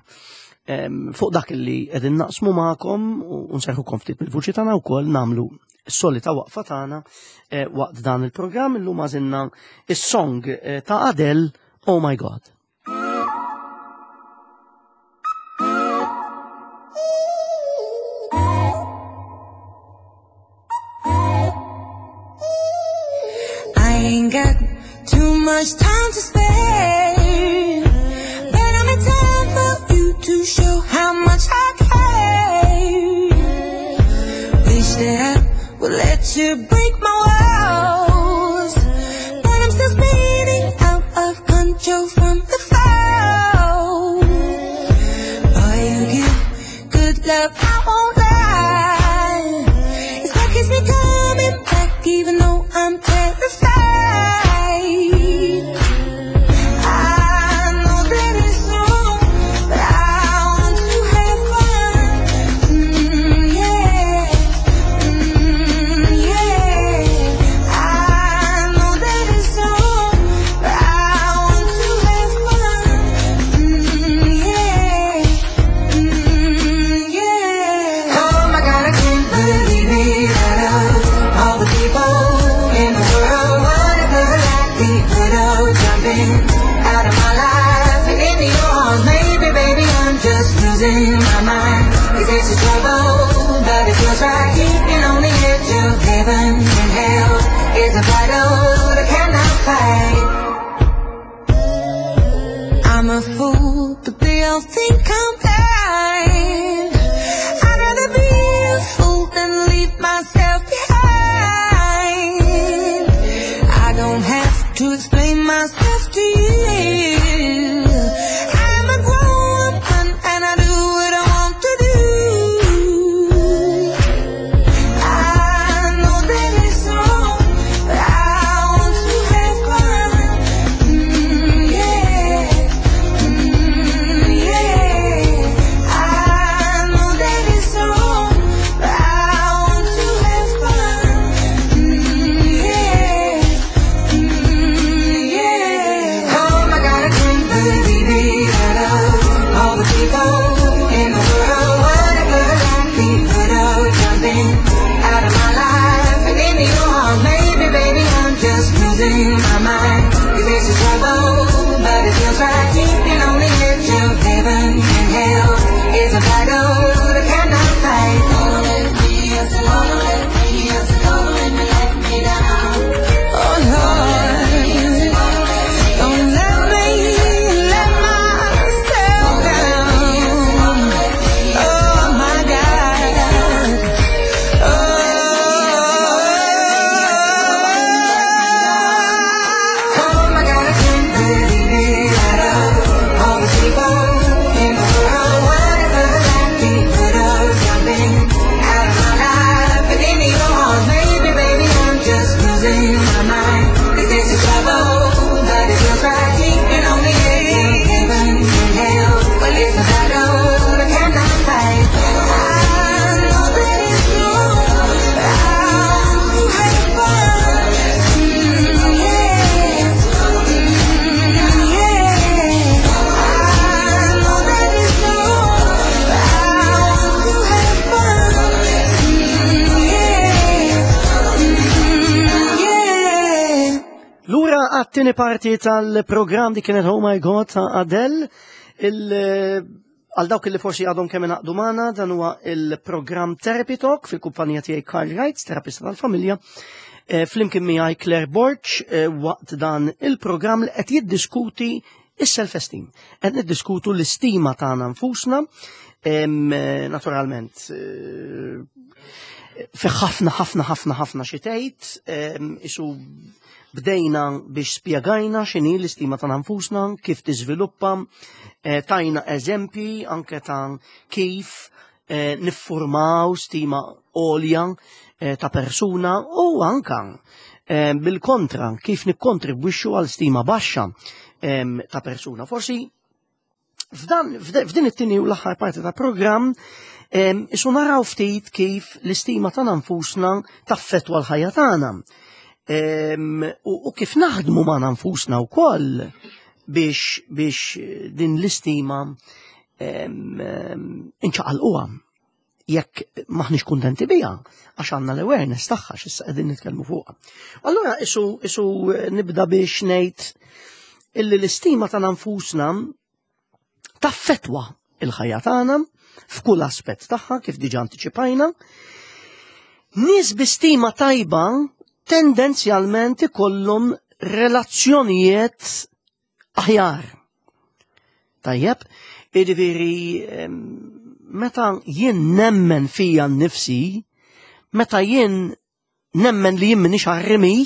S1: em, fuq dak li qegħdin naqsmu magħkom u nserħukom ftit bil-vuċi tagħna wkoll nagħmlu s-solita waqfa tagħna eh, waqt dan il-programm illum għażilna is-song eh, ta' Adele, Oh My God.
S3: I ain't got too much time to spare, but I'm in time for you to show how much I care. Wish that I would let you break my walls, but I'm still spinning out of control from the fall. Boy, you give good love, I won't lie. It's what keeps me coming back, even though I'm terrified. I know that it's wrong, but I want to have fun. Mm, yeah, mm, yeah. I know that it's wrong, but I want to have fun. Mm, yeah, mm, yeah. Oh my God, I can't believe it. Out of all the people in the world, what if never likely could have jumping out of my life and into your arms? Maybe, baby, I'm just losing my mind. Is this a trouble? But it feels right. Keeping on the edge of heaven and hell is a battle that I cannot fight. I'm a fool, but they all think I'm blind. I'd rather be a fool than leave myself behind. I don't have to explain myself to you. I'm a grown woman and I do what I want to do. I know that it's wrong, but I want to have fun. Mm, yeah, mm, yeah. I know that it's wrong, but I want to have fun. Mm, yeah, mm,
S1: Għat-tieni parti tal-programm di kienet Oh My God ta' Adele. Il- Għal dawk li forsi għadhom kemm ingħaqdu magħna, dan huwa il-programm Therapy Talk fil-kumpanija tiegħi Carl Wright, terapista tal-familja. Eh, Flimkien miegħi Claire Borg eh, waqt dan il-programm li qed jiddiskuti is-self-esteem. Qed niddiskutu l-istima tagħna nfusna, em, eh, naturalment eh, fi ħafna ħafna ħafna ħafna xi tgħid, em, isu bdejna biex spjegajna x'inhi l-istima ta' nfusna, kif tiżviluppa, eh, tajna eżempji anke ta' kif eh, niffurmaw stima għolja eh, ta' persuna u anka eh, bil-kontra kif nikkontribwixxu għal stima baxxa em, ta' persuna. Forsi f'dan f'din it-tieni u l-aħħar parti ta' programm em, isu naraw ftit kif l-istima ta' nfusna taffettwa l-ħajja tagħna. Em, u, u kif naħdmu ma' nfusna wkoll biex biex din l-istima em, em, inċaqalquha jekk maħniex kuntenti biha, għax għandna l-awareness tagħha x'issa qegħdin nitkellmu fuqha. Allura isu isu nibda biex ngħid illi l-istima ta' nfusna taffetwa il-ħajja tagħna f'kull aspett tagħha kif diġà antiċipajna. Nies bi stima tajba tendenzjalment ikollhom relazzjonijiet aħjar. Tajjeb, jiġifieri em, meta jien nemmen fija nnifsi, meta jien nemmen li jien m'iniex għar-rimi,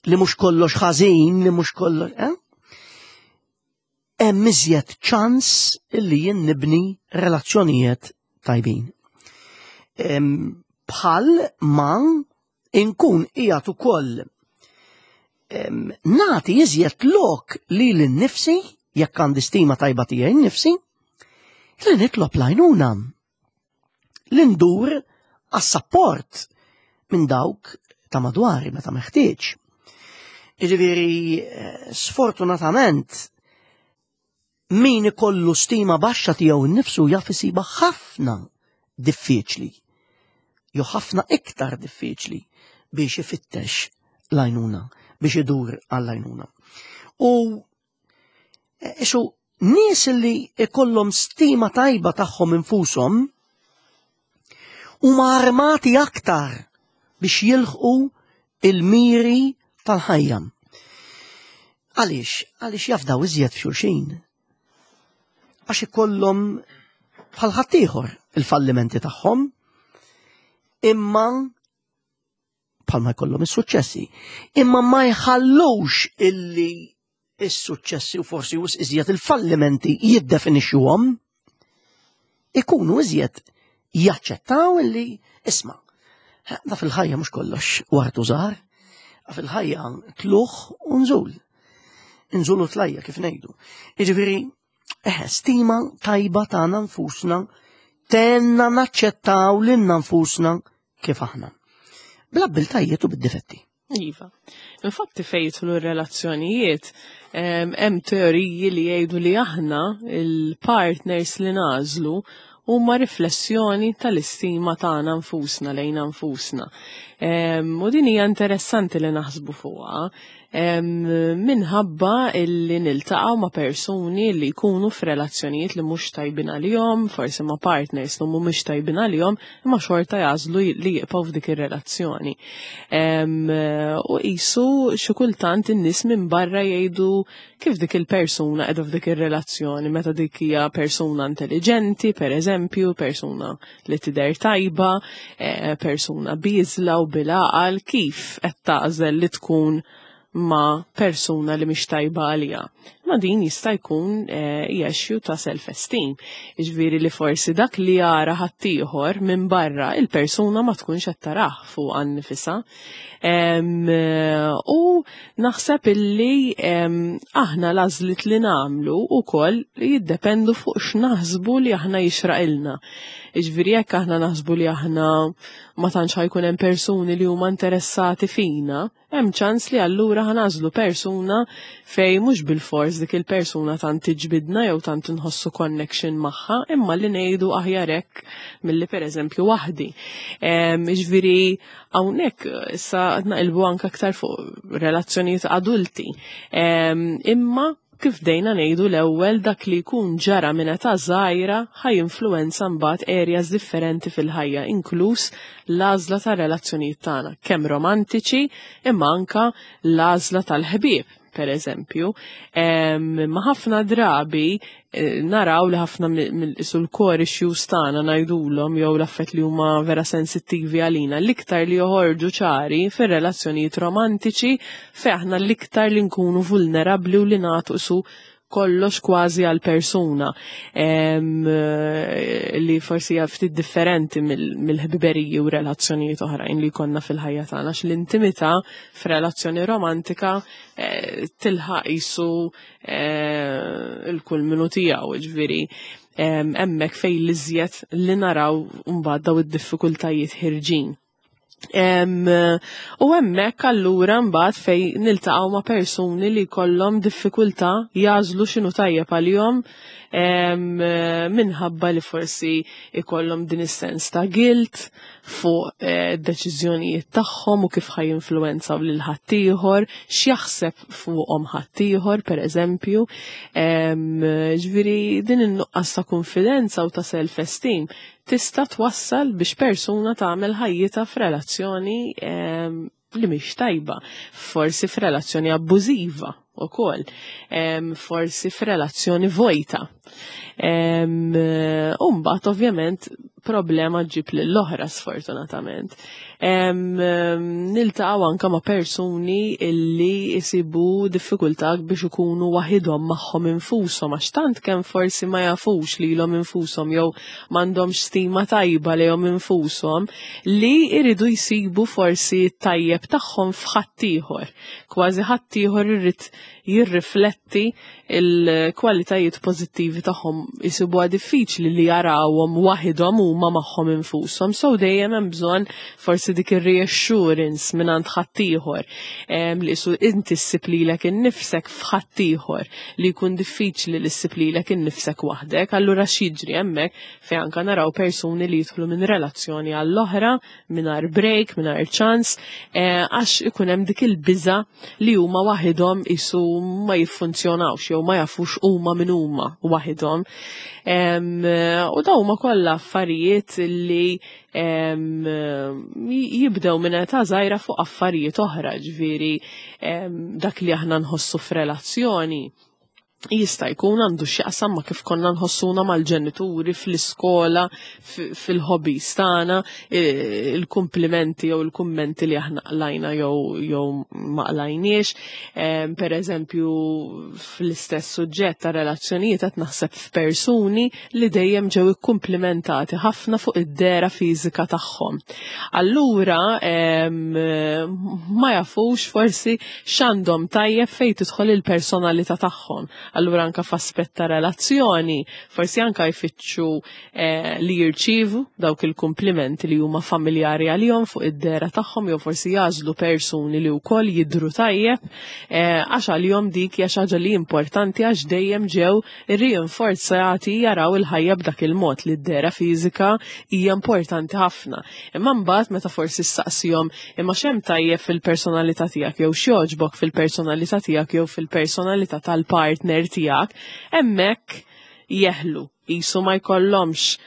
S1: li mhux kollox ħażin, li mhux kollox, eh? Hemm iżjed ċans illi jien nibni relazzjonijiet tajbin. Em, Bħal ma inkun qiegħed ukoll em, nagħti iżjed lok lili nnifsi, jekk għandi stima tajba tiegħi nnifsi, li nitlob l-għajnuna. Li ndur għas-support minn dawk ta' madwari meta meħtieġ. Jiġifieri, eh, sfortunatament, min ikollu stima baxxa tiegħu nnifsu jaf isibha ħafna diffiċli. Jew ħafna iktar diffiċli biex ifittex l-għajnuna, biex idur għall-għajnuna. U eh, isu nies li ikollhom stima tajba tagħhom infushom huma armati aktar biex jilħqu il-miri tal-ħajja. Għaliex? Għaliex jafdaw iżjed f'xulxin. Għax ikollhom bħal ħaddieħor il-fallimenti tagħhom, imma bħalma jkollhom is-suċċessi, imma ma jħallux illi is-suċċessi u forsi wisq iżjed il-fallimenti jiddefinixxuhom, ikunu iżjed jaċċettaw illi isma' da fil-ħajja mhux kollox ward u żahar, fil-ħajja tlugħ u nżul. Nżul u tlajja' kif ngħidu. Jiġifieri, eh, stima tajba tagħna nfusna tgħinna naċċettaw lilna nfusna kif aħna. Bl-abbiltajiet u bid-difetti.
S2: Iva. Infatti fejn jidħlu r-relazzjonijiet, em, hemm teoriji li jgħidu li aħna il-partners li nagħżlu huma riflessjoni tal-istima tagħna nfusna lejna nfusna. Em, U din hija interessanti li naħsbu fuqha em, minħabba illi niltaqgħu ma' persuni li jkunu f'relazzjonijiet li mhux tajbin għalihom, forsi ma' partners li mhumiex tajbin għalihom, imma xorta jagħżlu li jibqgħu f'dik ir-relazzjoni. Em, U qisu xi kultant in-nies minn barra jgħidu kif dik il-persuna qiegħda f'dik ir-relazzjoni, meta dik hija persuna intelligenti, per eżempju, persuna li tidher tajba, eh, persuna bieżla u bil-għaqal, kif qed tagħżel li tkun ma' persuna li mhix tajba għalija. Ma din jista' jkun eh, issue ta' self-esteem. Jiġifieri li forsi dak li jara ħaddieħor minn barra il-persuna ma tkunx qed tarah fuq nifisha. Em, eh, U naħseb illi em, aħna l-għażliet li nagħmlu ukoll jiddependu fuq x'naħsbu li aħna jixraqilna. Jiġifieri jekk aħna naħsbu li aħna ma tantx ħa jkun hemm persuni li huma interessati fina, hemm ċans li allura ħa nagħżlu persuna fejn mhux bil-fors bilfors dik il-persuna tant tiġbidna jew tant nħossu connection magħha, imma li ngħidu aħjar hekk milli pereżempju waħdi. Ġifieri hawnhekk issa naqilbu anke aktar fuq relazzjonijiet adulti. Imma kif bdejna ngħidu l-ewwel, dak li jkun ġara minn età żgħira ħa jinfluwenza mbagħad areas differenti fil-ħajja, inkluż l-għażla ta' relazzjonijiet tagħna, kemm romantiċi imma anka l-għażla tal-ħbieb, per eżempju. Ma ħafna drabi eh, naraw li ħafna sul-core issues tagħna ngħidulhom jew l-affett li huma vera sensittivi għalina, l-iktar li joħorġu ċari fir-relazzjonijiet romantiċi, fejn aħna l-iktar li nkunu vulnerabbli u li nagħtu su kollox kważi għal persuna li forsi hija ftit differenti mill-ħbiberiji u relazzjonijiet oħrajn li jkollna fil-ħajja tagħna, għax l-intimità f'relazzjoni romantika eh, tilħaq jisu eh, il-kulminu tiegħu, ġifieri hemmhekk fejn l-iżjed li naraw mbagħad daw id-diffikultajiet ħirġin. U hemmhekk allura mbagħad fejn niltaqgħu ma' persuni li kollhom diffikultà jagħżlu x'inhu tajjeb għalihom minħabba li forsi ikollhom din is-sens ta' guilt fuq eh, deċiżjonijiet tagħhom u kif ħa jinfluwenzaw lil ħaddieħor, x'jaħseb fuqhom ħaddieħor, pereżempju. Ġifieri din in-nuqqas ta' konfidenza u ta' self-esteem tista' twassal biex persuna tagħmel ħajjitha f'relazzjoni li mhix tajba, forsi f'relazzjoni abbużiva ukoll, forsi f'relazzjoni vojta. U mbagħad ovvjament problema ġib lill-oħra, sfortunatament. Niltaqgħu anka ma' persuni illi jisibu diffikultà biex ikunu waħidhom magħhom infushom, għax tant kemm forsi ma jafux lilhom infushom jew m'għandhomx stima tajba lejhom infushom li jridu jsibu forsi tajjeb tagħhom f'ħaddieħor. Kważi ħaddieħor irid jirrifletti il-kwalitajiet pożittivi tagħhom, jisibuha diffiċli li jarawhom waħidhom huma magħhom infushom. So dejjem hemm bżonn forsi dik ir-reassurance mingħand ħaddieħor li isu inti ssib lilek innifsek f'ħaddieħor, li jkun diffiċli li ssib lilek innifsek waħdek. Allura x'jiġri hemmhekk fejn anka naraw persuni li jidħlu minn relazzjoni għall-oħra mingħajr break, mingħajr ċans, eh, għax ikun hemm dik il-biża li huma waħidhom isu ma jiffunzjonawx jew ma jafux huma min huma waħidhom. U daw huma kollha affarijiet li jibdew minn età żgħira fuq affarijiet oħra, ġifieri dak li aħna nħossu f'relazzjoni jista' jkun għandu x'jaqsam ma' kif konna nħossuna mal-ġenituri, fl-iskola, fil-hobbies tagħna, il-kumplimenti jew il-kummenti li aħna qlajna jew jew ma qlajniex. Per eżempju, fl-istess suġġett ta' relazzjonijiet qed naħseb f'persuni li dejjem ġew ikkumplimentati ħafna fuq id-dehra fiżika tagħhom. Allura ma jafux forsi x'għandhom tajjeb fejn tidħol il-personalità tagħhom. Allura anka f'aspett ta' relazzjoni, forsi anka jfittxu eh, li jirċivu dawk il-kumplimenti li huma familjari għalihom fuq id-dehra tagħhom jew forsi jagħżlu persuni li wkoll jidhru tajjeb eh, għax għalihom dik hija xi ħaġa li importanti, għax dejjem ġew irrinforzati jaraw il-ħajja b'dak il-mod li d-dehra fiżika hija importanti ħafna. Imma mbagħad meta forsi ssaqsihom imma x'hemm tajjeb fil-personalità tiegħek jew x'jogħġbok fil-personalità tiegħek jew fil-personalità tal-partner tiegħek, hemmhekk jeħlu, jisu ma jkollhomx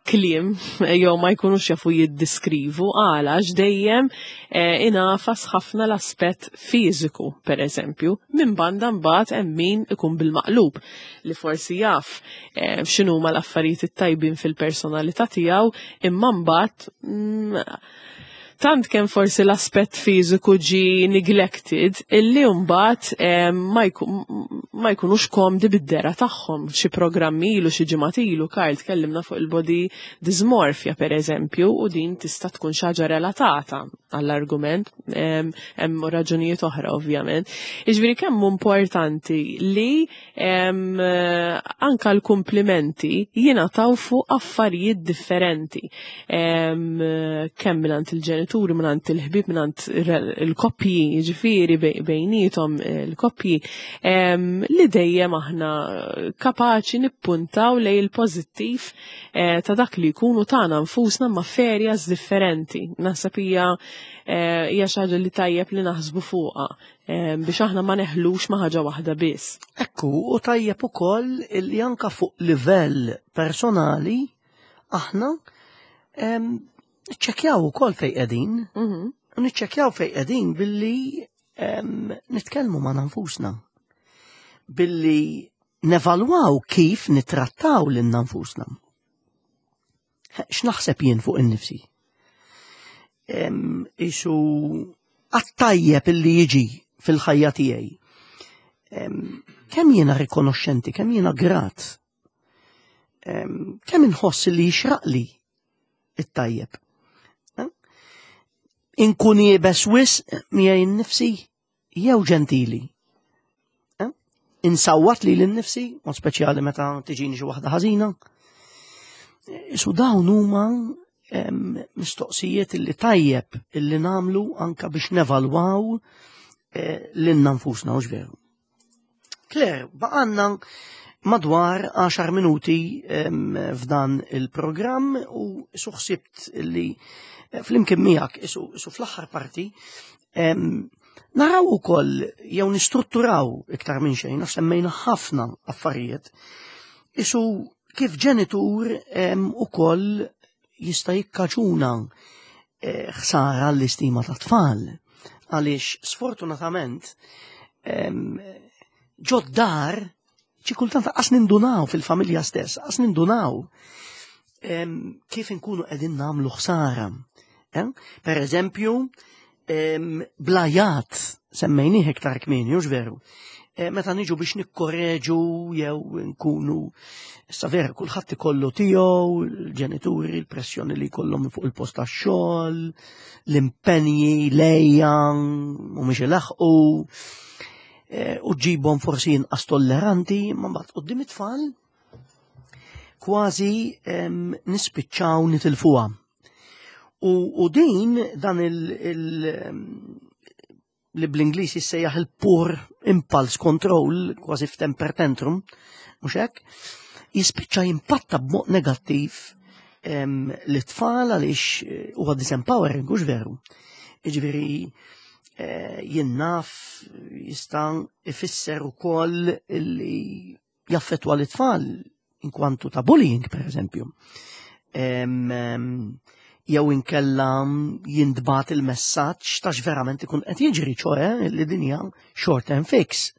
S2: kliem jew ma jkunux jafu jiddiskrivu għala, għax dejjem eh, ingħafas ħafna l-aspett fiżiku, per eżempju. Minn banda mbagħad hemm min ikun bil-maqlub li forsi jaf eh, x'inhuma l-affarijiet it-tajbin fil-personalità tiegħu, imma mbagħad mm, tant kemm forsi l-aspett fiżiku ġi neglected illi mbagħad eh, ma ma jkunux komdi bid-dehra tagħhom. Xi programmi ilu, xi ġimgħat ilu, Karl, tkellimna fuq il-body dysmorphia, per eżempju, u din tista' tkun xi ħaġa relatata. għall-argument, hemm raġunijiet oħra ovvjament. Jiġifieri kemm importanti li anka l-kumplimenti jingħataw fuq affarijiet differenti. Kemm mingħand il-ġenituri, mingħand il-ħbieb, mingħand il-koppji, jiġifieri bejniethom il-koppji, li dejjem aħna kapaċi nippuntaw lejn il-pożittiv eh, ta' dak li jkunu tagħna nfusna ma' f'areas differenti. Naħseb hija hija xi ħaġa li tajjeb li naħsbu fuqha biex aħna ma neħlux ma' ħaġa waħda biss.
S1: Ekku, u tajjeb ukoll li anka fuq livell personali aħna niċċekkjaw ukoll fejn qegħdin.
S2: Mhm.
S1: U niċċekkjaw fejn qegħdin billi nitkellmu ma' nfusna. Billi nevalwaw kif nitrattaw lil nfusna. X'naħseb jien fuq innifsi? Isu għat-tajjeb illi jiġi fil-ħajja tiegħi. Kemm jiena rikonoxxenti, kemm jiena grat, kemm inħoss li jixraqli it-tajjeb. Inkun iebes wisq miegħi nnifsi jew ġentili. Insawwat lili nnifsi, mod speċjali meta tiġini xi waħda ħażina. Isu dawn huma mistoqsijiet illi tajjeb illi nagħmlu anka biex nevalwaw eh, lilna nfusna, hux veru? Claire, baqgħalna madwar għaxar minuti f'dan il-programm u isu ħsibt illi eh, flimkien miegħek isu, isu fl-aħħar parti naraw ukoll jew nistrutturaw iktar minn xejn, għax semmejna ħafna affarijiet, isu kif ġenitur ukoll jista' jikkaġuna eh, ħsara l-istima ta' tfal. Għaliex sfortunatament ġod-dar xi kultant qas nindunaw fil-familja stess, qas nindunaw kif inkunu qegħdin nagħmlu ħsara. Eh? Per eżempju, bl-għajat semmejnieh iktar kmieni, hux veru? Eh, meta niġu biex nikkorreġu jew nkunu issa vera kulħadd ikollu tiegħu, il-ġenituri, il-pressjoni li jkollhom fuq il-post tax-xogħol, l-impenji, lejja, mhumiex ilaħqu, eh, u ġibhom forsi inqas tolleranti, ma mbagħad quddiem it-tfal kważi nispiċċaw nitilfuha. U, u din dan il, il li bl-Ingliż jissejjaħ il-poor impulse control, kważi f'temper tantrum, mhux hekk, jispiċċa jimpatta b'mod negattiv l-tfal għaliex eh, huwa disempowering, hux veru? Jiġifieri eh, jien naf jista' ifisser ukoll li jaffettwa l-tfal inkwantu ta' bullying, per eżempju. Jew inkella jintbagħat il-messaġġ ta' x'verament ikun qed jiġri, ċoe li din hija short term fix.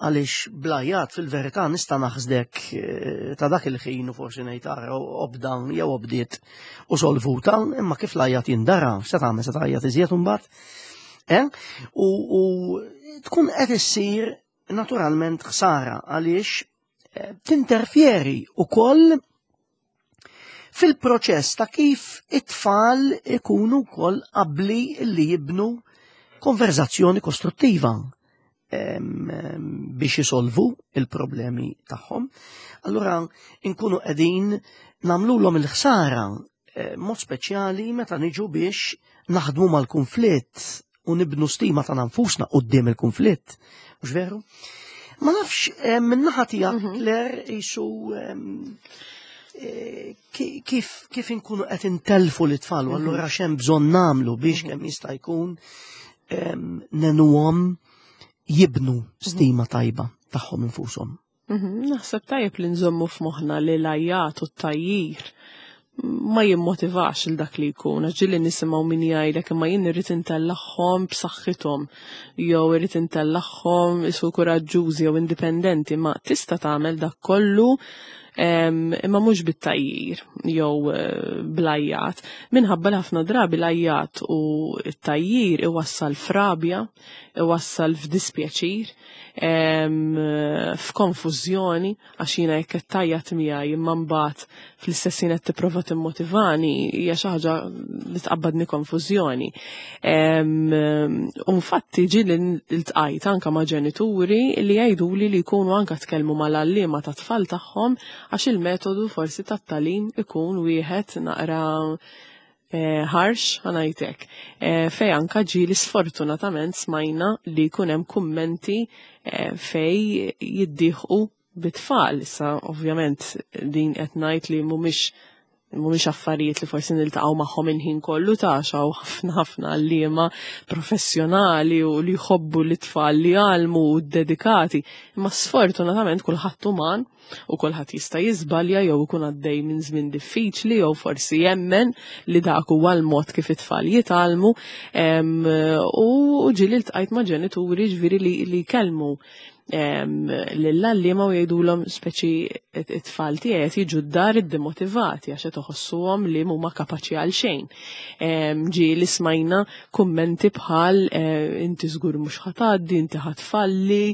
S1: Għaliex bl-għajat fil-verità nista' naħsdek eh, ta' dak il-ħin u forsi ngħid ara obda jew obdiet u solvuta, imma kif l-għajat jindara, se tagħmel, se tgħajjat iżjed imbagħad? Eh? U, u tkun qed issir naturalment ħsara għaliex eh, tinterfjeri ukoll fil-proċess ta' kif it-tfal ikunu wkoll qabli li jibnu konverzazzjoni kostruttiva biex jisolvu il-problemi tagħhom. Allura nkunu qegħdin nagħmluhom il-ħsara eh, mod speċjali meta niġu biex naħdmu mal-konflitt u nibnu stima ta' nfusna quddiem il-konflitt. Mhux veru? Ma nafx eh, min-naħa tiegħek mhm. Claire isu eh, kif kif inkunu qed intelfu l-tfal u mhm. allura x'hemm bżonn nagħmlu biex mhm. kemm jista' jkun ngħinuhom jibnu stima tajba tagħhom infushom.
S2: Naħseb tajjeb li nżommu f'moħħna li l-għajat u t-tgħajjir ma jimmotivax il dak li jkun, ġieli nisimgħu min jgħidlek imma jien irrid intellagħhom b'saħħithom, jew irrid intellagħhom isu kuraġġużi jew indipendenti, ma tista' tagħmel dak kollu Imma mhux bit-tgħajjir jew eh, bl-għajjat, minħabba li ħafna drabi l-għajjat u t-tgħajjir iwassal f'rabja, iwassal f'dispjaċir, f'konfużjoni, għax jiena jekk qed tgħajjat miegħi imma mbagħad fl-istess ħin qed tipprova timmotivani, hija xi ħaġa li tqabbadni konfużjoni. U infatti ġieli ltqajt anka ma' ġenituri li jgħiduli li jkunu anka tkellmu mal-għalliema tat-tfal tagħhom għax il-metodu forsi tat-tagħlim ikun wieħed naqra eh, harsh, ħa ngħidlek. Eh, fej anka ġieli sfortunatament smajna li jkun hemm kummenti eh, fej jiddieħqu bit-tfal. Issa ovvjament din qed ngħid li mhumiex mhumiex affarijiet li forsi niltaqgħu magħhom il-ħin kollu, ta' hawn ħafna ħafna għalliema professjonali u li jħobbu l-tfal li jgħallmu u dedikati. Imma sfortunatament kulħadd uman u kulħadd jista' jiżbalja jew ikun għaddej minn żmien diffiċli jew forsi jemmen li dak huwa l-mod kif it-tfal jitgħallmu, u ġieli ltqajt ma' ġenituri ġifieri li, li kellmu lill-għalliema u jgħidulhom speċi it-tfal tiegħi qed jiġu d-dar iddemotivati għax qed iħossuhom li mhuma kapaċi għal xejn. Ġieli smajna kummenti bħal eh, inti żgur mhux ħa tgħaddi, inti ħa tfalli,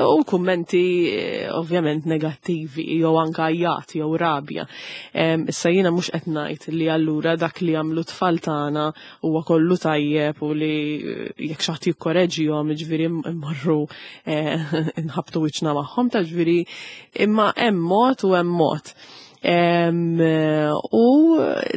S2: u kummenti eh, ovvjament negattivi jew anka għajjat jew rabja. Issa jiena mhux qed ngħid li allura dak li jagħmlu tfal tagħna huwa kollu tajjeb u li eh, jekk xi ħadd jikkoreġihom ġifieri immorru nħabtu wiċċna magħhom, ta' ġifieri imma hemm mod u hemm mod. U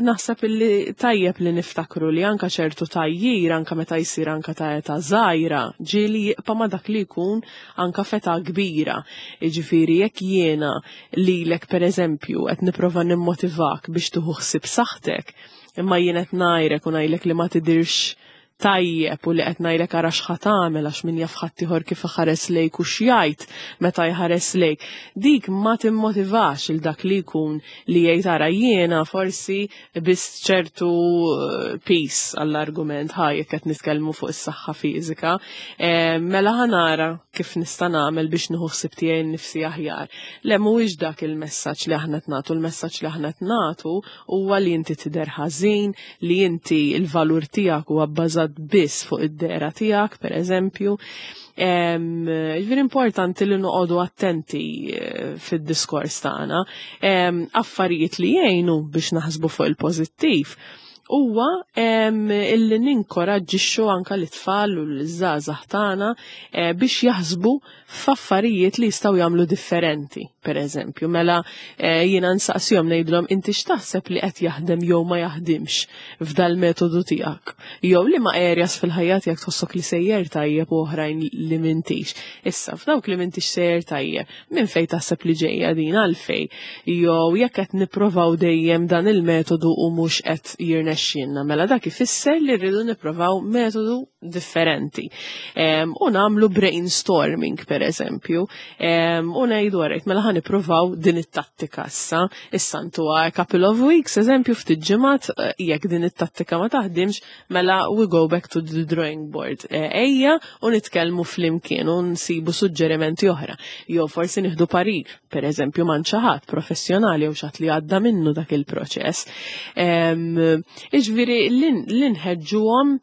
S2: naħseb li tajjeb li niftakru li anka ċertu tgħajjir, anka meta jsir anka ta' età żgħira, ġieli jibqa' ma' dak li jkun anka f'età kbira. Jiġifieri jekk jiena lilek, pereżempju, qed nipprova nimmotivak biex tieħu ħsieb saħħtek, imma jien qed ngħajrek u ngħidlek li ma tidirx tajjeb u li qed ngħidlek ara x'ħa tagħmel għax min jaf ħaddieħor kif iħares lejk u x'jgħid meta jħares lejk. Dik ma timmotivax il dak li jkun li jgħid ara jiena forsi biss ċertu eh, piż, għall-argument ħa, jekk qed nitkellmu fuq is-saħħa fiżika, eh, mela ħa nara kif nista' nagħmel biex nieħu ħsieb tiegħi nnifsi aħjar. Le, mhuwiex dak il-messaġġ li aħna qed nagħtu, il-messaġġ li aħna qed nagħtu huwa li inti tidher ħażin, li inti il-valur tiegħek huwa bbażat biss fuq id-dehra tiegħek, per eżempju. Ġifieri importanti li noqogħdu attenti eh, fid-diskors tagħna. Affarijiet li jgħinu biex naħsbu fuq il-pożittiv huwa illi ninkoraġġixxu anka l-itfal u l-żgħażagħ tagħna eh, biex jaħsbu f'affarijiet li jistgħu jagħmlu differenti, per eżempju. Mela eh, jiena nsaqsihom, ngħidulhom: inti x'taħseb li qed jaħdem jew ma jaħdimx f'dal metodu tiegħek? Jew liema areas fil-ħajja tiegħek tħossok li sejjer tajjeb u oħrajn li m'intix? Issa f'dawk li m'intix sejjer tajjeb, minn fejn taħseb li ġejja din, għalfejn? Jew jekk qed nipprovaw dejjem dan il-metodu u mhux qed jirnexxielna, mela dak ifisser li rridu nipprovaw metodu differenti. U nagħmlu brainstorming, per eżempju, u ngħidu: alright, mela ħa nippruvaw din it-tattika issa. Issa ntuha a couple of weeks, eżempju ftit ġimgħat, eh, jekk din it-tattika ma taħdimx, mela we go back to the drawing board. Eh, ejja u nitkellmu flimkien u nsibu suġġerimenti oħra. Jew forsi nieħdu parir, per eżempju, minn xi ħadd professjonali jew xi ħadd li għadda minnu dak il-proċess. Iġifieri li nħeġġuhom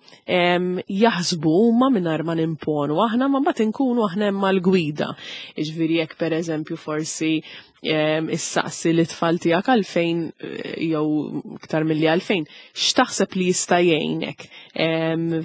S2: jaħsbu huma mingħajr ma nimponu aħna, ma mbagħad inkunu aħna hemm mal-gwida. Iġifieri jekk, per eżempju, forsi issaqsi lit-tfal tiegħek għalfejn eh, jew iktar milli għalfejn, x'taħseb li jista' jgħinek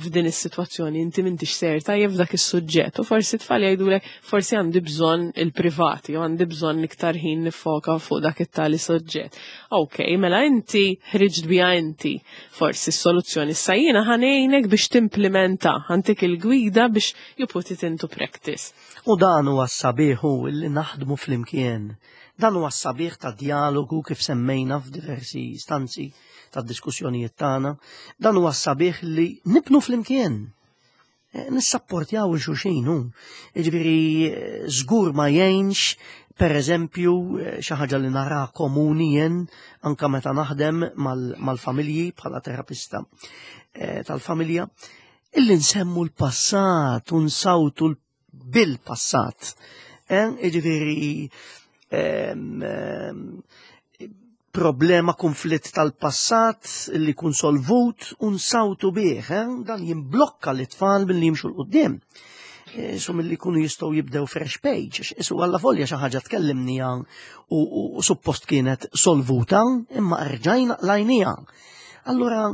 S2: f'din is-sitwazzjoni, inti m'intix sejjer tajjeb f'dak is-suġġett, u forsi tfal jgħidulek forsi għandi bżonn il-privati jew għandi bżonn iktar ħin nifoka fuq dak it-tali suġġett. Ok, mela inti ħriġt biha inti forsi s-soluzzjoni. Issa jiena ħa ngħinek biex timplementa, ħa ntik il-gwida biex you put it into practice.
S1: U dan huwa s-sabiħ li naħdmu flimkien. Dan huwa s-sabiħ ta' dialogu, kif semmejna f'diversi stanzi ta' diskussjonijiet tagħna. Dan huwa s-sabiħ li nibnu flimkien. Eh, nissapportjaw 'il xulxin hu. Jiġifieri eh, żgur ma jgħinx, per eżempju, eh, xi ħaġa li nara komuni jien anka meta naħdem mal-familji bħala terapista tal-familja, illi nsemmu l-passat u nsawtu bil-passat. Eh, Jiġifieri em, em, problema, konflitt tal-passat li kun solvut u nsawtu bih, eh? Dan jimblokka l-tfal milli jimxu 'l quddiem. So milli kunu jistgħu jibdew fresh page, isu għalla volja xi ħaġa tkellimniha u, u, u suppost kienet solvuta, imma rġajna qlajnieha. Allura,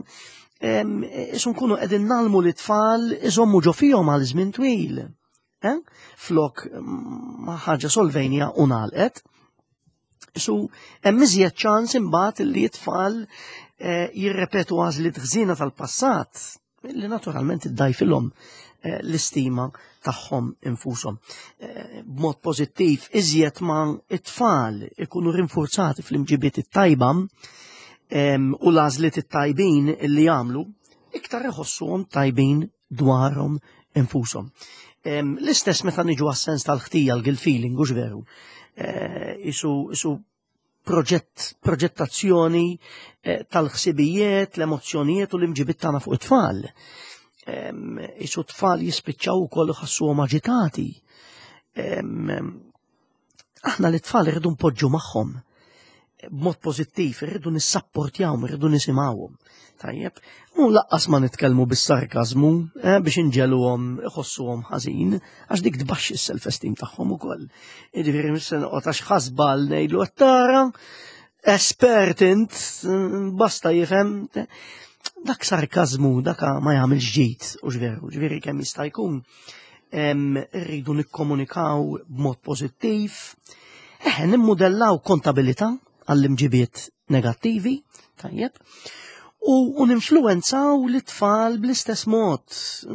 S1: em, isu nkunu qegħdin ngħallmu l-tfal iżommu ġo fihom għal żmien twil. Eh? Flok mm, ma ħaġa solvejnieha u ngħalqet. Su hemm iżjed ċans imbagħad li t-tfal eh, jirrepetu għażliet ħżiena tal-passat li naturalment iddajfilhom eh, l-istima tagħhom infushom. Eh, B'mod pożittiv iżjed ma it-tfal ikunu rinforzati fl-imġibiet it-tajba em, u l-għażliet it-tajbin li jagħmlu, iktar iħossuhom tajbin dwarhom infushom. Em, L-istess meta niġu għas-sens tal-ħtija, l-guilt feeling, hux veru? Eh, Isu, isu proġett, proġettazzjoni eh, tal-ħsibijiet, l-emozzjonijiet u l-imġibiet tagħna fuq it-tfal. Em, Isu tfal jispiċċaw ukoll iħossuhom aġitati. Em, Aħna l-tfal irridu npoġġu magħhom b'mod pożittiv, irridu nissapportjawhom, irridu nisimgħuhom. Tajjeb, u lanqas ma nitkellmu bis-sarkazmu eh, biex inġegħluhom iħossuhom ħażin, għax dik tbaxxi s-self-esteem tagħhom ukoll. Jiġifieri mhux se noqgħod għax ħasbal ngħidlu qed tara espert int, basta jifhem. Dak sarkazmu, dak ma jagħmilx ġid, hux veru, ġifieri kemm jista' jkun em, irridu nikkomunikaw b'mod pożittiv, eħe nimmudellaw kontabilità għall-imġibiet negattivi, tajjeb, u, u ninfluenzaw l-tfal bl-istess mod,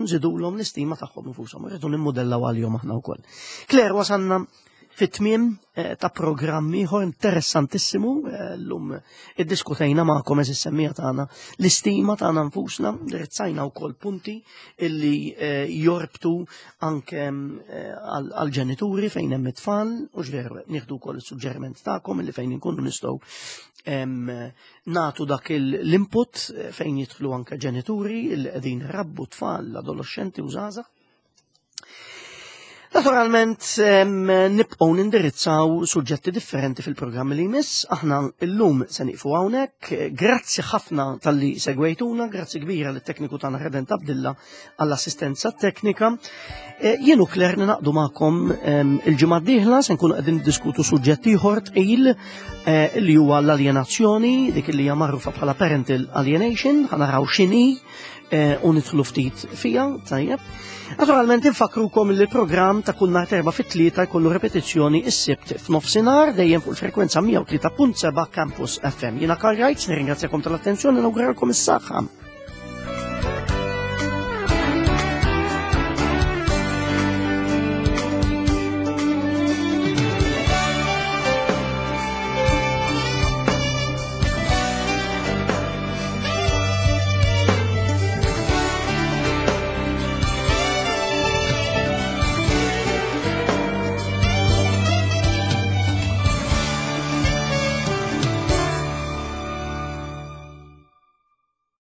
S1: nżidulhom l-istima tagħhom infushom, irridu nimmudellaw għalihom aħna wkoll. Claire, wasanna fit-tmiem eh, ta' programm ieħor interessantissimu, eh, llum iddiskutejna magħkom, għeżież semmiegħa tagħna, l-istima tagħna nfusna, indirizzajna wkoll punti illi eh, jorbtu anke eh, għal għal-ġenituri fejn hemm it-tfal, u veru nieħdu wkoll is-suġġeriment tagħkom illi fejn inkunu nistgħu em, nagħtu dak il- l-input eh, fejn jidħlu anke ġenituri illi qegħdin rabbu tfal, adolescenti u żgħażagħ. Naturalment, em, nibqgħu nindirizzaw suġġetti differenti fil-programmi li jmiss. Aħna illum se nieqfu hawnhekk. Grazzi ħafna talli segwejtuna, grazzi kbira lit tekniku tagħna Redent Abdilla għall-assistenza teknika. Eh, Jien u Claire ningħaqdu magħkom em, il-ġimgħa d-dieħla, se nkunu qegħdin niddiskutu suġġett ieħor tqil eh, li huwa l-alienazzjoni, dik li hija magħrufa bħala parental alienation, ħa naraw x'inhi eh, u nidħlu ftit fija, tajjeb. Naturalment infakrukom li l-programm ta' kull nhar Erbgħa fit-tlieta jkollu repetizzjoni is-Sibt f'nofsinhar dejjem fuq il-frekwenza mija u tlieta punt seba' Campus F M. Jiena Karl Reitz, nirringrazzjakom tal-attenzjoni, nawguralkom is-saħħa.